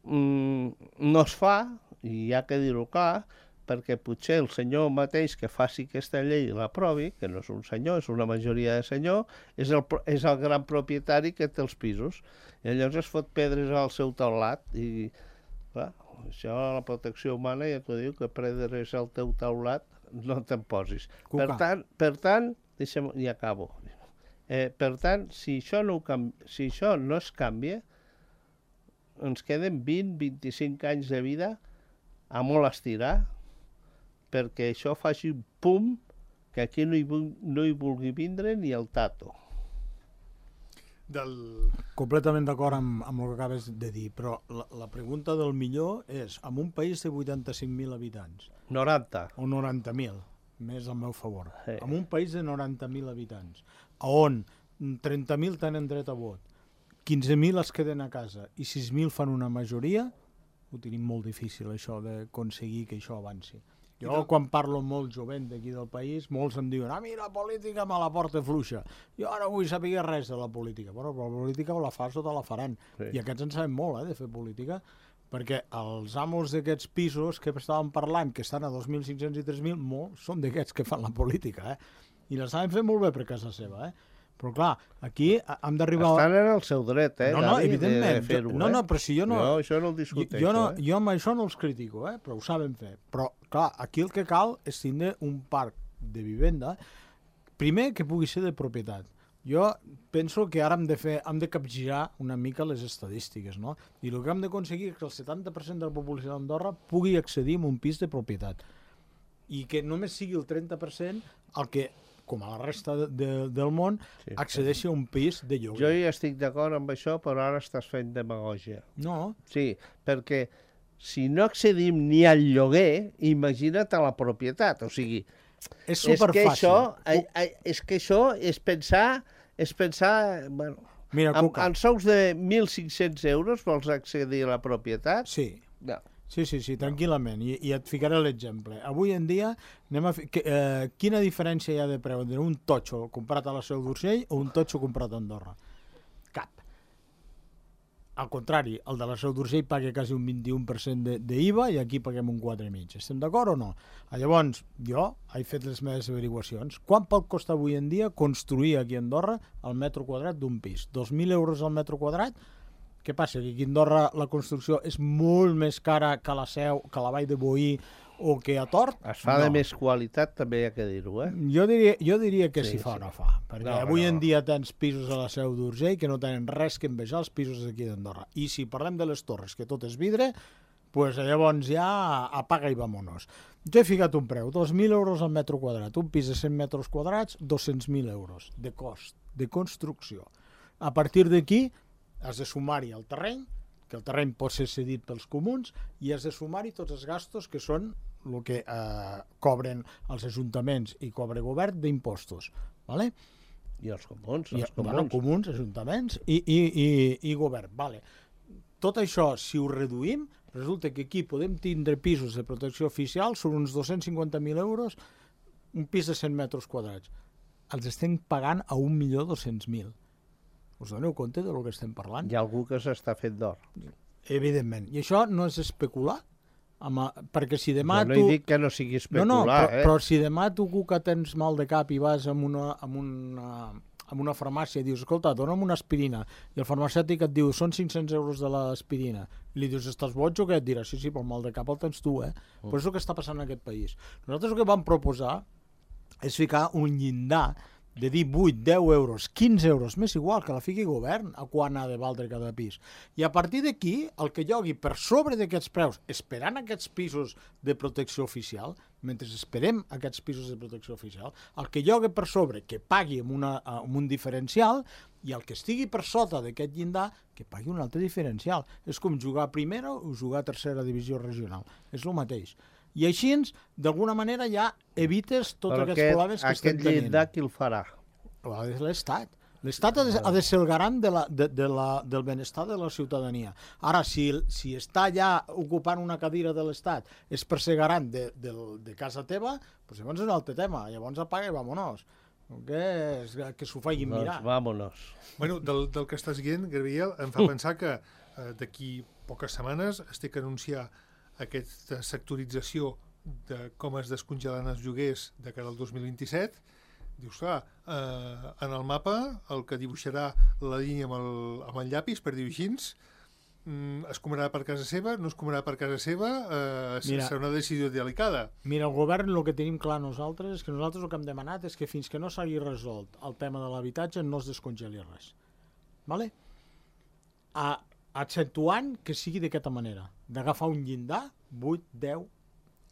mm, no es fa, i hi ha que dir-ho clar, perquè potser el senyor mateix que faci aquesta llei i l'aprovi, que no és un senyor, és una majoria de senyor, és el, és el gran propietari que té els pisos. I llavors es fot pedres al seu taulat i, clar, això la protecció humana ja t'ho diu, que pedres al teu taulat no te'n posis. Per tant, per tant, deixa'm, i acabo. Eh, per tant, si això, no canvi, si això no es canvia, ens queden vint a vint-i-cinc anys de vida a molt estirar perquè això faci un pum que aquí no hi, no hi vulgui vindre ni el tato. Del... Completament d'acord amb, amb el que acabes de dir, però la, la pregunta del millor és, en un país de vuitanta-cinc mil habitants... noranta. O noranta mil, més al meu favor. Sí. En un país de noranta mil habitants, on trenta mil tenen dret a vot, quinze mil es queden a casa i sis mil fan una majoria, ho tenim molt difícil, això, d'aconseguir que això avanci. Jo, quan parlo amb molt jovent d'aquí del país, molts em diuen, ah, mira, la política me la porta fluixa. Jo ara vull saber res de la política. Bueno, però la política o la fas o te la faran. Sí. I aquests en sabem molt, eh, de fer política, perquè els amos d'aquests pisos que estàvem parlant, que estan a dos mil cinc-cents i tres mil, molts són d'aquests que fan la política, eh? I la saben fer molt bé per casa seva, eh? Però clar, aquí hem d'arribar... Estan en el seu dret, eh, no, no, Gavi, evidentment. de fer-ho, no, no, però si jo no... Jo això no el discuteixo, jo, no, eh? jo amb això no els critico, eh, però ho saben fer. Però, clar, aquí el que cal és tindre un parc de vivenda, primer, que pugui ser de propietat. Jo penso que ara hem de fer, hem de capgirar una mica les estadístiques, no? I el que hem d'aconseguir és que el setanta per cent de la població d'Andorra pugui accedir a un pis de propietat. I que només sigui el trenta per cent el que, com a la resta de, de, del món, sí, accedeixi a un pis de lloguer. Jo hi estic d'acord amb això, però ara estàs fent demagògia. No. Sí, perquè si no accedim ni al lloguer, imagina't a la propietat. O sigui, és superfàcil. És que això, és, que això és pensar, és pensar, bueno, Mira, amb, amb sous de mil cinc-cents euros vols accedir a la propietat? Sí. No. Sí, sí, sí, tranquil·lament, I, i et ficaré l'exemple. Avui en dia, anem a fi... que, eh, quina diferència hi ha de preu entre un totxo comprat a la Seu d'Urgell o un totxo comprat a Andorra? Cap. Al contrari, el de la Seu d'Urgell paga quasi un vint-i-un per cent d'I V A i aquí paguem un quatre coma cinc. Estem d'acord o no? Llavors, jo he fet les meves averiguacions. Quant pot costar avui en dia construir aquí a Andorra el metro quadrat d'un pis? dos mil euros al metro quadrat? Què passa? Que aquí a Andorra la construcció és molt més cara que la Seu, que la Vall de Boí o que a Tort? Es fa no. de més qualitat, també hi ha que dir-ho, eh? Jo diria, jo diria que sí, si fa sí. o no fa. Perquè no, avui no. en dia tens pisos a la Seu d'Urgell que no tenen res que envejar els pisos d'aquí d'Andorra. I si parlem de les torres, que tot és vidre, pues llavors ja apaga i vamonos. Jo he ficat un preu, dos mil euros al metro quadrat. Un pis de cent metres quadrats, dos-cents mil euros de cost, de construcció. A partir d'aquí, has de sumar-hi el terreny, que el terreny pot ser cedit pels comuns, i has de sumar-hi tots els gastos que són el que eh, cobren els ajuntaments i cobra govern d'impostos. ¿Vale? I els comuns. I, els comuns. Bueno, comuns, ajuntaments i, i, i, i govern. Vale. Tot això, si ho reduïm, resulta que aquí podem tindre pisos de protecció oficial, són uns dos-cents cinquanta mil euros, un pis de cent metres quadrats. Els estem pagant a un milió dos-cents mil. Us doneu compte del que estem parlant? Hi ha algú que s'està fet d'or. Evidentment. I això no és especular? Amb, perquè si demà jo no tu... he dit que no sigui especular, no, no, però, eh? Però si demà tu que tens mal de cap i vas a una, amb una, amb una farmàcia i dius, escolta, dona'm una aspirina, i el farmacèutic et diu, són cinc-cents euros de l'aspirina, i li dius, estàs boig o què? Et dirà, sí, sí, però el mal de cap el tens tu, eh? Mm. Però és el que està passant en aquest país. Nosaltres el que vam proposar és ficar un llindar de dir vuit, deu euros, quinze euros, més igual que la fiqui govern a quan ha de valdre cada pis. I a partir d'aquí, el que llogui per sobre d'aquests preus, esperant aquests pisos de protecció oficial, mentre esperem aquests pisos de protecció oficial, el que llogui per sobre, que pagui amb, una, amb un diferencial, i el que estigui per sota d'aquest llindar, que pagui un altre diferencial. És com jugar a primera o jugar a tercera divisió regional. És el mateix. I així, d'alguna manera, ja evites tots però aquests aquest, problemes que estem tenint. Aquest llindar qui el farà? L'Estat. L'Estat ha, ha de ser el garant de la, de, de la, del benestar de la ciutadania. Ara, si, si està ja ocupant una cadira de l'Estat és per ser garant de, de, de casa teva, doncs llavors és un altre tema. Llavors apaga i vámonos. Que, que s'ho facin mirar. Doncs vámonos. Bueno, del, del que estàs dient, Gabriel, em fa uh. pensar que eh, d'aquí poques setmanes es té que anunciar aquesta sectorització de com es descongelaran els lloguers de cara al dos mil vint-i-set, dius, clar, eh, en el mapa el que dibuixarà la línia amb el, amb el llapis, per dir-ho així, mm, es cobrarà per casa seva, no es cobrarà per casa seva, eh, Mira, serà una decisió delicada. Mira, el govern el que tenim clar nosaltres és que nosaltres el que hem demanat és que fins que no s'hagi resolt el tema de l'habitatge no es descongeli res. Vale? A, accentuant que sigui d'aquesta manera, d'agafar un llindar, vuit, deu,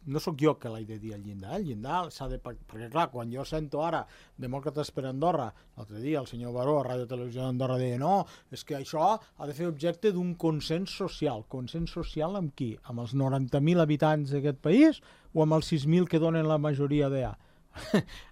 no sóc jo que l'he de dir el llindar, el llindar s'ha de... Perquè clar, quan jo sento ara Demòcrates per Andorra, l'altre dia el senyor Baró a Ràdio Televisió d'Andorra deia no, és que això ha de fer objecte d'un consens social. Consens social amb qui? Amb els noranta mil habitants d'aquest país o amb els sis mil que donen la majoria d'A?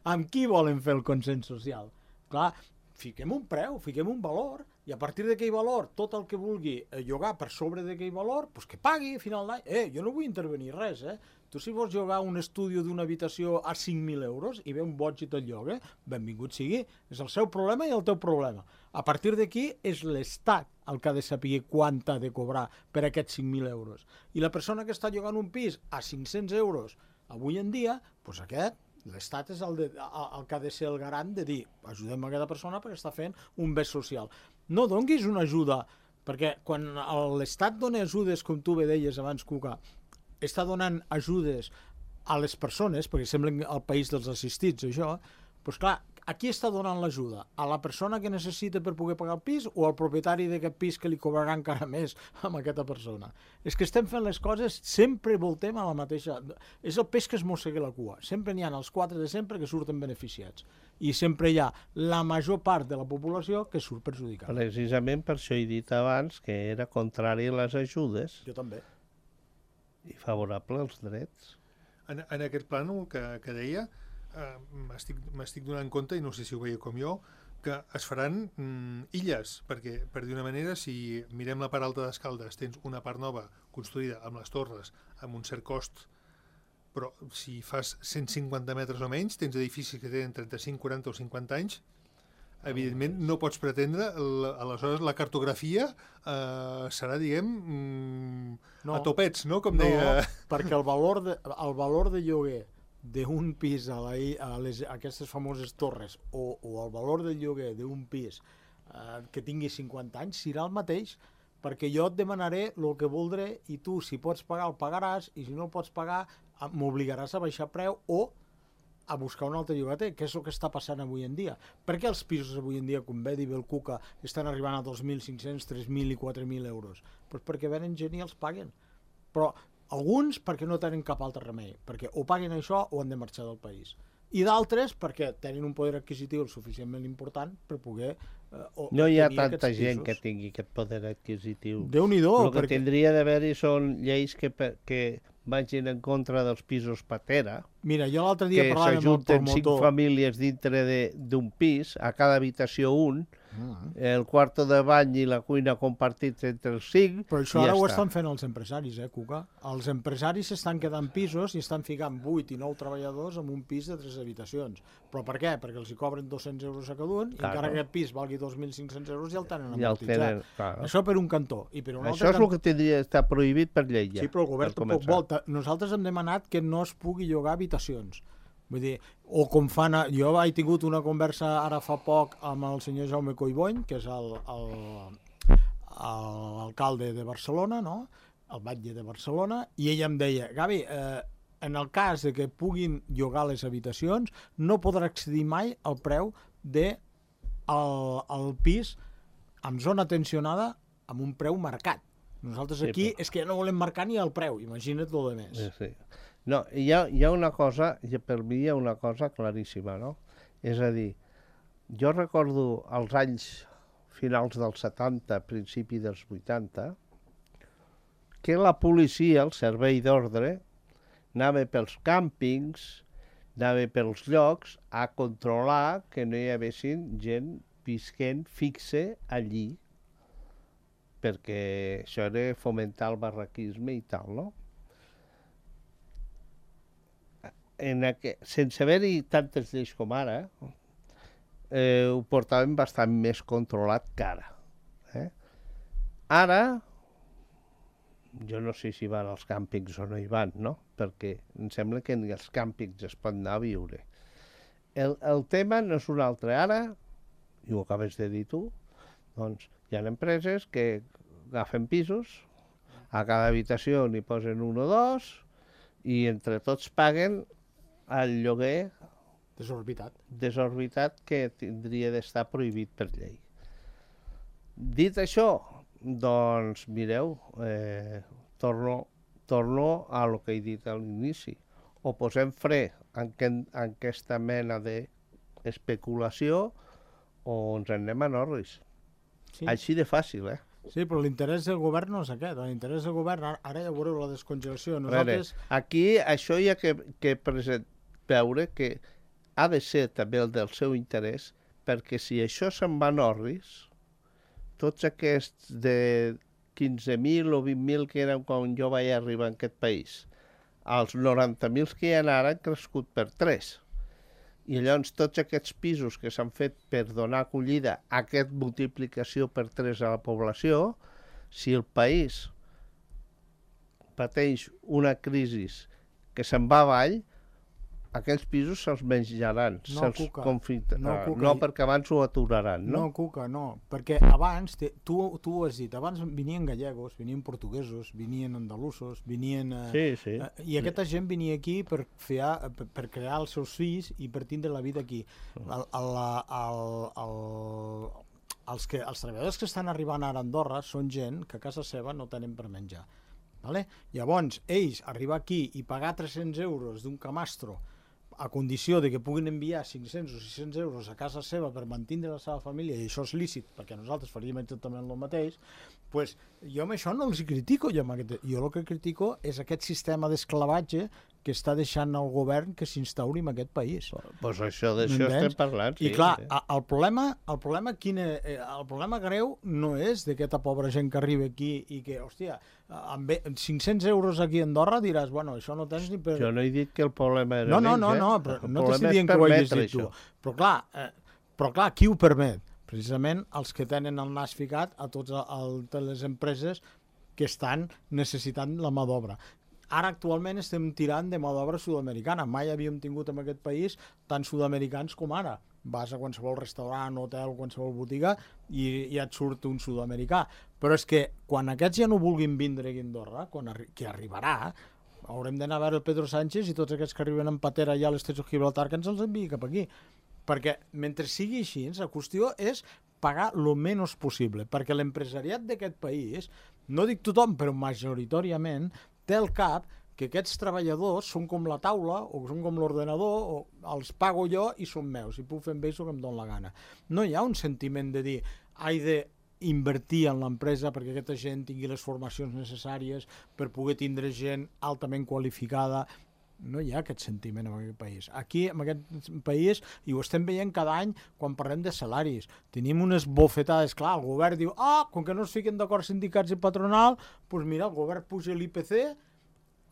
Amb qui volen fer el consens social? Clar, fiquem un preu, fiquem un valor, i a partir d'aquell valor, tot el que vulgui llogar per sobre d'aquell valor, doncs que pagui a final d'any. Eh, jo no vull intervenir res, eh? Tu si vols llogar un estudi d'una habitació a cinc mil euros i ve un boig i te'l lloga, benvingut sigui, és el seu problema i el teu problema. A partir d'aquí és l'Estat el que ha de saber quant ha de cobrar per aquests cinc mil euros. I la persona que està llogant un pis a cinc-cents euros avui en dia, doncs aquest, l'Estat és el, de, el que ha de ser el garant de dir ajudem a aquesta persona perquè està fent un bé social. No donguis una ajuda, perquè quan l'Estat dona ajudes, com tu bé deies abans, Cuca, està donant ajudes a les persones, perquè sembla el país dels assistits, això, doncs clar, a qui està donant l'ajuda? A la persona que necessita per poder pagar el pis o al propietari d'aquest pis que li cobrarà encara més amb aquesta persona? És que estem fent les coses, sempre voltem a la mateixa... És el peix que es mossega la cua. Sempre n'hi ha els quatre de sempre que surten beneficiats. I sempre hi ha la major part de la població que surt perjudicada. Precisament per això he dit abans que era contrari a les ajudes. Jo també. I favorable als drets. En, en aquest plànol que, que deia, eh, m'estic donant compte, i no sé si ho veieu com jo, que es faran mm, illes, perquè, per dir una manera, si mirem la part alta d'Escaldes, tens una part nova construïda amb les torres, amb un cert cost, però si fas cent cinquanta metres o menys, tens edificis que tenen trenta-cinc, quaranta o cinquanta anys, evidentment no pots pretendre, la, aleshores la cartografia eh, serà, diguem, mm, no, a topets, no? Com no, deia... perquè el valor de, el valor de lloguer d'un pis a, la, a, les, a aquestes famoses torres o, o el valor del lloguer d'un pis eh, que tingui cinquanta anys serà el mateix, perquè jo et demanaré el que voldré i tu, si pots pagar, el pagaràs, i si no el pots pagar, m'obligaràs a baixar preu o a buscar un altre llogater, que és el que està passant avui en dia. Per què els pisos avui en dia, com bé diu el Cuca, estan arribant a dos mil cinc-cents, tres mil i quatre mil euros? Pues perquè venen gent i els paguen. Però alguns perquè no tenen cap altre remei, perquè o paguen això o han de marxar del país. I d'altres perquè tenen un poder adquisitiu suficientment important per poder... Eh, no hi ha tanta gent que tingui aquest poder adquisitiu. Déu-n'hi-do. El que perquè... tindria d'haver-hi són lleis que... que vagin en contra dels pisos patera. Mira, jo l'altre dia parlava amb el promotor... Que s'ajunten cinc famílies dintre d'un pis, a cada habitació un, uh-huh. el quarto de bany i la cuina compartits entre els cinc. Però això ara ja ho està. Estan fent els empresaris, eh, Cuca? Els empresaris s'estan quedant pisos i estan ficant vuit i nou treballadors en un pis de tres habitacions. Però per què? Perquè els hi cobren dos-cents euros a cada un i claro. Encara que aquest pis valgui dos mil cinc-cents euros ja el tenen amortitzat. Ja el claro. Això per un cantó. I per un això altre és el que tindria d'estar prohibit per llei ja. Sí, però el govern tampoc vol. Nosaltres hem demanat que no es pugui llogar habitacions. Vull dir, o com fan... A... Jo he tingut una conversa ara fa poc amb el senyor Jaume Collbony, que és l'alcalde de Barcelona, no? El batlle de Barcelona, i ell em deia, Gavi, eh, en el cas de que puguin llogar les habitacions, no podrà accedir mai al preu de el, el pis amb zona tensionada amb un preu marcat. Nosaltres aquí sí, però... és que ja no volem marcar ni el preu, imagina't el de més. Sí, sí. No, hi ha, hi ha una cosa, per mi hi ha una cosa claríssima, no? És a dir, jo recordo els anys finals dels setanta, principi dels vuitanta, que la policia, el servei d'ordre, anava pels càmpings, anava pels llocs a controlar que no hi haguessin gent visquent fixe allí, perquè això era fomentar el barraquisme i tal, no? En aqu... Sense haver-hi tantes lleis com ara, eh, ho portàvem bastant més controlat que ara. Eh? Ara jo no sé si van als càmpings o no hi van, no? Perquè em sembla que ni als càmpings es pot anar a viure. El, el tema no és un altre. Ara, i ho acabes de dir tu, doncs hi ha empreses que agafen pisos, a cada habitació n'hi posen un o dos, i entre tots paguen el lloguer Desorbitat. desorbitat que tindria d'estar prohibit per llei. Dit això, doncs, mireu, eh, torno, torno a lo que he dit a l'inici. O posem fre en, que, en aquesta mena d'especulació o ens en anem a Norris. Sí. Així de fàcil, eh? Sí, però l'interès del govern no és aquest. L'interès del govern, ara, ara ja veureu la descongelació. Nosaltres... Veure, aquí això hi ha que, que present, veure que ha de ser també el del seu interès, perquè si això se'n va a Norris, tots aquests de quinze mil o vint mil que eren quan jo vaig arribar en aquest país, els noranta mil que hi ha ara han crescut per tres. I llavors tots aquests pisos que s'han fet per donar acollida a aquesta multiplicació per tres a la població, si el país pateix una crisi que se'n va avall, aquells pisos se'ls menjaran, no, se'ls Cuca, confitaran. no, No, Cuca, no, perquè abans ho aturaran, no? No, Cuca, no. Perquè abans, te, tu, tu ho has dit, abans venien gallegos, venien portuguesos, venien andalusos, venien... Eh, sí, sí. Eh, I aquesta gent venia aquí per, fer, per, per crear els seus fills i per tindre la vida aquí. El, el, el, el, els, que, els treballadors que estan arribant ara a Andorra són gent que a casa seva no tenen per menjar. Vale? Llavors, ells arribar aquí i pagar tres-cents euros d'un camastro a condició de que puguin enviar cinc-cents o sis-cents euros a casa seva per mantenir la seva família, i això és lícit, perquè nosaltres faríem exactament el mateix, pues, jo amb això no els critico. Jo, aquest, jo el que critico és aquest sistema d'esclavatge que està deixant el govern que s'instauri en aquest país. Pues això d'això estem parlant, sí. I clar, sí. el problema, el problema, quin és, el problema greu no és d'aquesta pobra gent que arriba aquí i que, hòstia, amb cinc-cents euros aquí a Andorra diràs, bueno, això no tens ni per... Jo no he dit que el problema era no, no, ells, no, eh? no, però no t'estic dient que ho hagis dit tu. Però clar, eh, però clar, qui ho permet? Precisament els que tenen el nas ficat a totes les empreses que estan necessitant la mà d'obra. Ara actualment estem tirant de mà d'obra sud-americana. Mai havíem tingut en aquest país tant sud-americans com ara. Vas a qualsevol restaurant, hotel, qualsevol botiga i ja et surt un sud-americà. Però és que quan aquests ja no vulguin vindre a Andorra, quan arri que arribarà, haurem d'anar a veure el Pedro Sánchez i tots aquests que arriben en patera allà a l'Estret de Gibraltar que ens els enviï cap aquí. Perquè mentre sigui així, la qüestió és pagar el menys possible, perquè l'empresariat d'aquest país, no dic tothom, però majoritàriament, té el cap que aquests treballadors són com la taula o són com l'ordenador, o els pago jo i són meus, i puc fer amb ells el que em dóna la gana. No hi ha un sentiment de dir he d'invertir en l'empresa perquè aquesta gent tingui les formacions necessàries per poder tindre gent altament qualificada. No hi ha aquest sentiment en aquest país. Aquí, en aquest país, i ho estem veient cada any quan parlem de salaris. Tenim unes bofetades, clar, el govern diu, ah, com que no es fiquen d'acord sindicats i patronal, doncs mira, el govern puja l'I P C,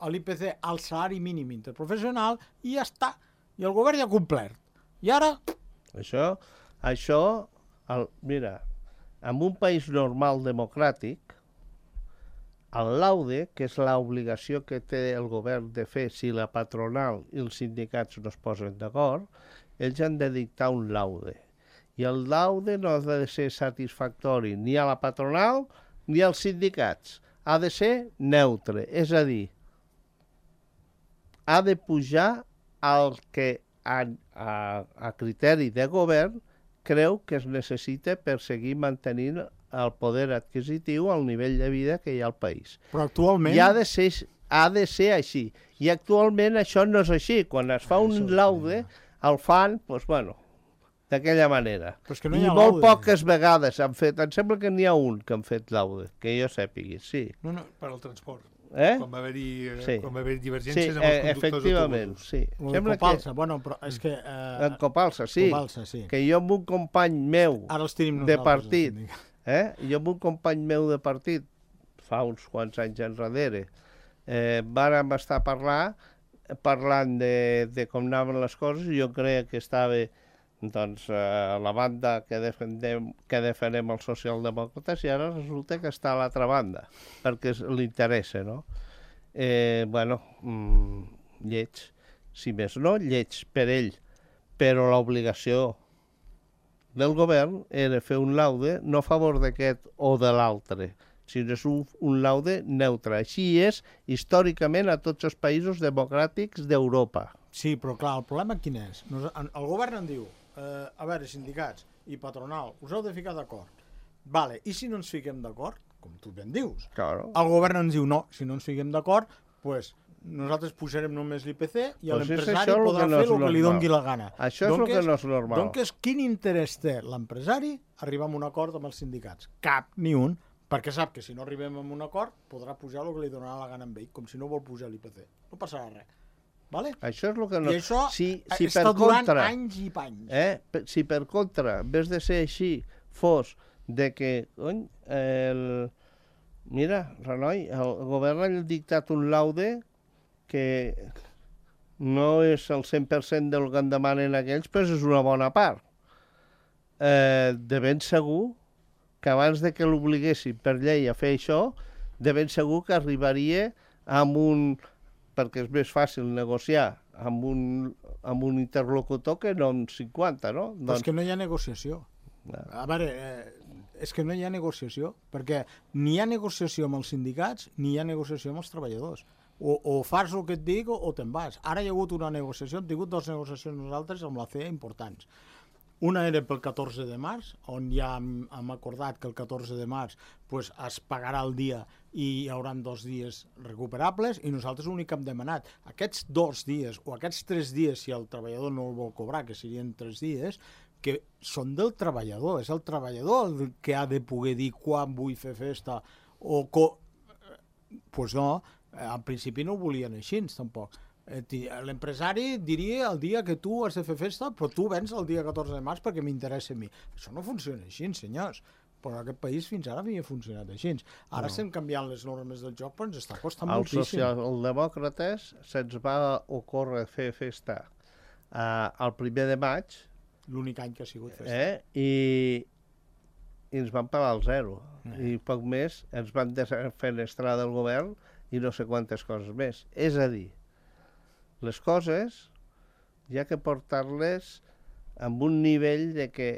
l'I P C al salari mínim interprofessional, i ja està. I el govern ja ha complert. I ara... Això, això el, mira, en un país normal democràtic, el laude, que és l'obligació que té el govern de fer si la patronal i els sindicats no es posen d'acord, ells han de dictar un laude. I el laude no ha de ser satisfactori ni a la patronal ni als sindicats. Ha de ser neutre, és a dir, ha de pujar el que a, a, a criteri de govern creu que es necessita per seguir mantenint el poder adquisitiu al nivell de vida que hi ha al país. Però actualment... I ha de ser, ha de ser així. I actualment això no és així. Quan es fa un laude, el fan, doncs, bueno, d'aquella manera. No I molt laude. Poques vegades han fet, em sembla que n'hi ha un que han fet laude, que jo sàpigui, sí. No, no, per al transport. Eh? Quan va haver-hi sí. haver divergències sí, amb els conductors efectivament, d'autobús. sí. En Copalsa, que... bueno, però és que... Eh... En Copalsa, sí. Copalsa, sí. Que jo amb un company meu de partit, eh? jo amb un company meu de partit, fa uns quants anys enrere, eh, vàrem estar a parlar, parlant de, de com anaven les coses, i jo creia que estava doncs, eh, la banda que defendem, que defenem els socialdemòcrates, i ara resulta que està a l'altra banda, perquè li interessa, no? Eh, bueno, mm, lleig, si més no, lleig per ell, però l'obligació del govern era fer un laude no a favor d'aquest o de l'altre, sinó és un, un laude neutre. Així és històricament a tots els països democràtics d'Europa. Sí, però clar, el problema quin és? El govern en diu, eh, a veure, sindicats i patronal, us heu de ficar d'acord. Vale, i si no ens fiquem d'acord, com tu ben dius, claro. El govern ens diu, no, si no ens fiquem d'acord, pues nosaltres pujarem només l'I P C i pues l'empresari podrà no fer el que normal. li doni la gana. Això és el que no és normal. Doncs quin interès té l'empresari arribar a un acord amb els sindicats? Cap, ni un, perquè sap que si no arribem a un acord podrà pujar el que li donarà la gana amb ell, com si no vol pujar l'I P C. No passarà res. Vale? Això és el que no... I això si, si està per durant contra, anys i panys. Eh, si per contra, en vez de ser així, fos de que, cony, el... mira, Renoi, el govern ha dictat un laude que no és el cent per cent del que en demanen aquells, però és una bona part. Eh, de ben segur que abans de que l'obliguessin per llei a fer això, de ben segur que arribaria amb un... perquè és més fàcil negociar amb un, amb un interlocutor que no amb cinquanta, no? Però és que no hi ha negociació. No. A veure, eh, és que no hi ha negociació, perquè ni hi ha negociació amb els sindicats ni hi ha negociació amb els treballadors. O, o fas el que et dic o, o te'n vas. Ara hi ha hagut una negociació, hem tingut dues negociacions nosaltres amb la C E A importants. Una era pel catorze de març, on ja hem, hem acordat que el catorze de març pues, es pagarà el dia i hi haurà dos dies recuperables, i nosaltres l'únic que hem demanat, aquests dos dies o aquests tres dies, si el treballador no el vol cobrar, que serien tres dies, que són del treballador, és el treballador el que ha de poder dir quan vull fer festa o... Co... Pues no, al principi no ho volien així, tampoc. L'empresari diria el dia que tu has de fer festa, però tu vens el dia catorze de març perquè m'interessa a mi. Això no funciona així, senyors. Però aquest país fins ara havia funcionat així. Ara no. Estem canviant les normes del joc, però ens està costant el moltíssim. Social, el demòcrates se'ns va ocórrer fer festa uh, el primer de maig. L'únic any que ha sigut festa. Eh? I, i ens van pagar el zero. Eh. I poc més ens van defenestrar del govern i no sé quantes coses més. És a dir, les coses hi ha que portar-les amb un nivell de que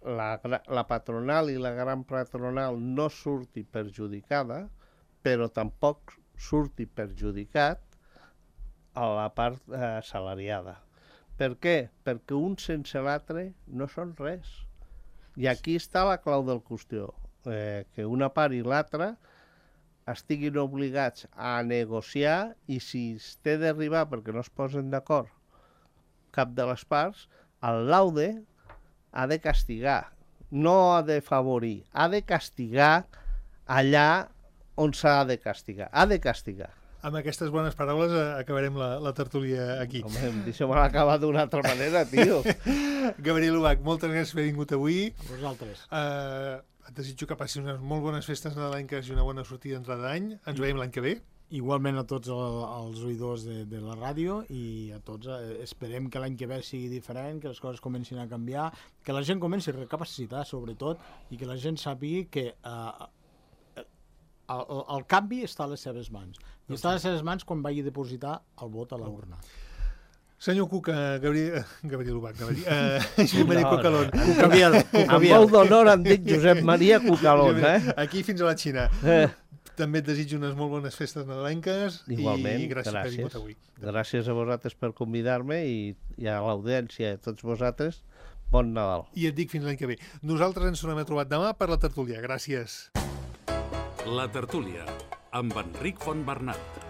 la, la patronal i la gran patronal no surti perjudicada, però tampoc surti perjudicat a la part eh, salariada. Per què? Perquè un sense l'altre no són res. I aquí està la clau del qüestió, eh, que una part i l'altra estiguin obligats a negociar, i si es té d'arribar perquè no es posen d'acord cap de les parts, el laude ha de castigar, no ha de favorir, ha de castigar allà on s'ha de castigar, ha de castigar. Amb aquestes bones paraules acabarem la, la tertúlia aquí. Home, deixa'm l'acabar d'una altra manera, tio. Gabriel Ubach, moltes gràcies per haver vingut avui. A vosaltres. Uh, et desitjo que passis unes molt bones festes nadalenques i una bona sortida d'entrada d'any. Ens veiem l'any que ve. Igualment a tots el, els oïdors de, de la ràdio, i a tots eh, esperem que l'any que ve sigui diferent, que les coses comencin a canviar, que la gent comenci a recapacitar sobretot, i que la gent sàpiga que eh, el, el canvi està a les seves mans, i està a les seves mans quan vagi a depositar el vot a la urna. Senyor Cuca, Gabriel, Gabriel Ubach, Gabriel, uh, Josep Maria no, Cucalón. No. Cucaviel, Cucaviel. Amb molt d'honor em dic Josep Maria Cucalón, eh? Aquí fins a la Xina. Eh. També et desitjo unes molt bones festes nadalenques. Igualment, i gràcies, gràcies per haver vingut avui. Gràcies a vosaltres per convidar-me, i, i a l'audiència, a tots vosaltres, bon Nadal. I et dic fins l'any que ve. Nosaltres ens tornem a trobar demà per la tertúlia. Gràcies. La tertúlia, amb Enric Fontbernat.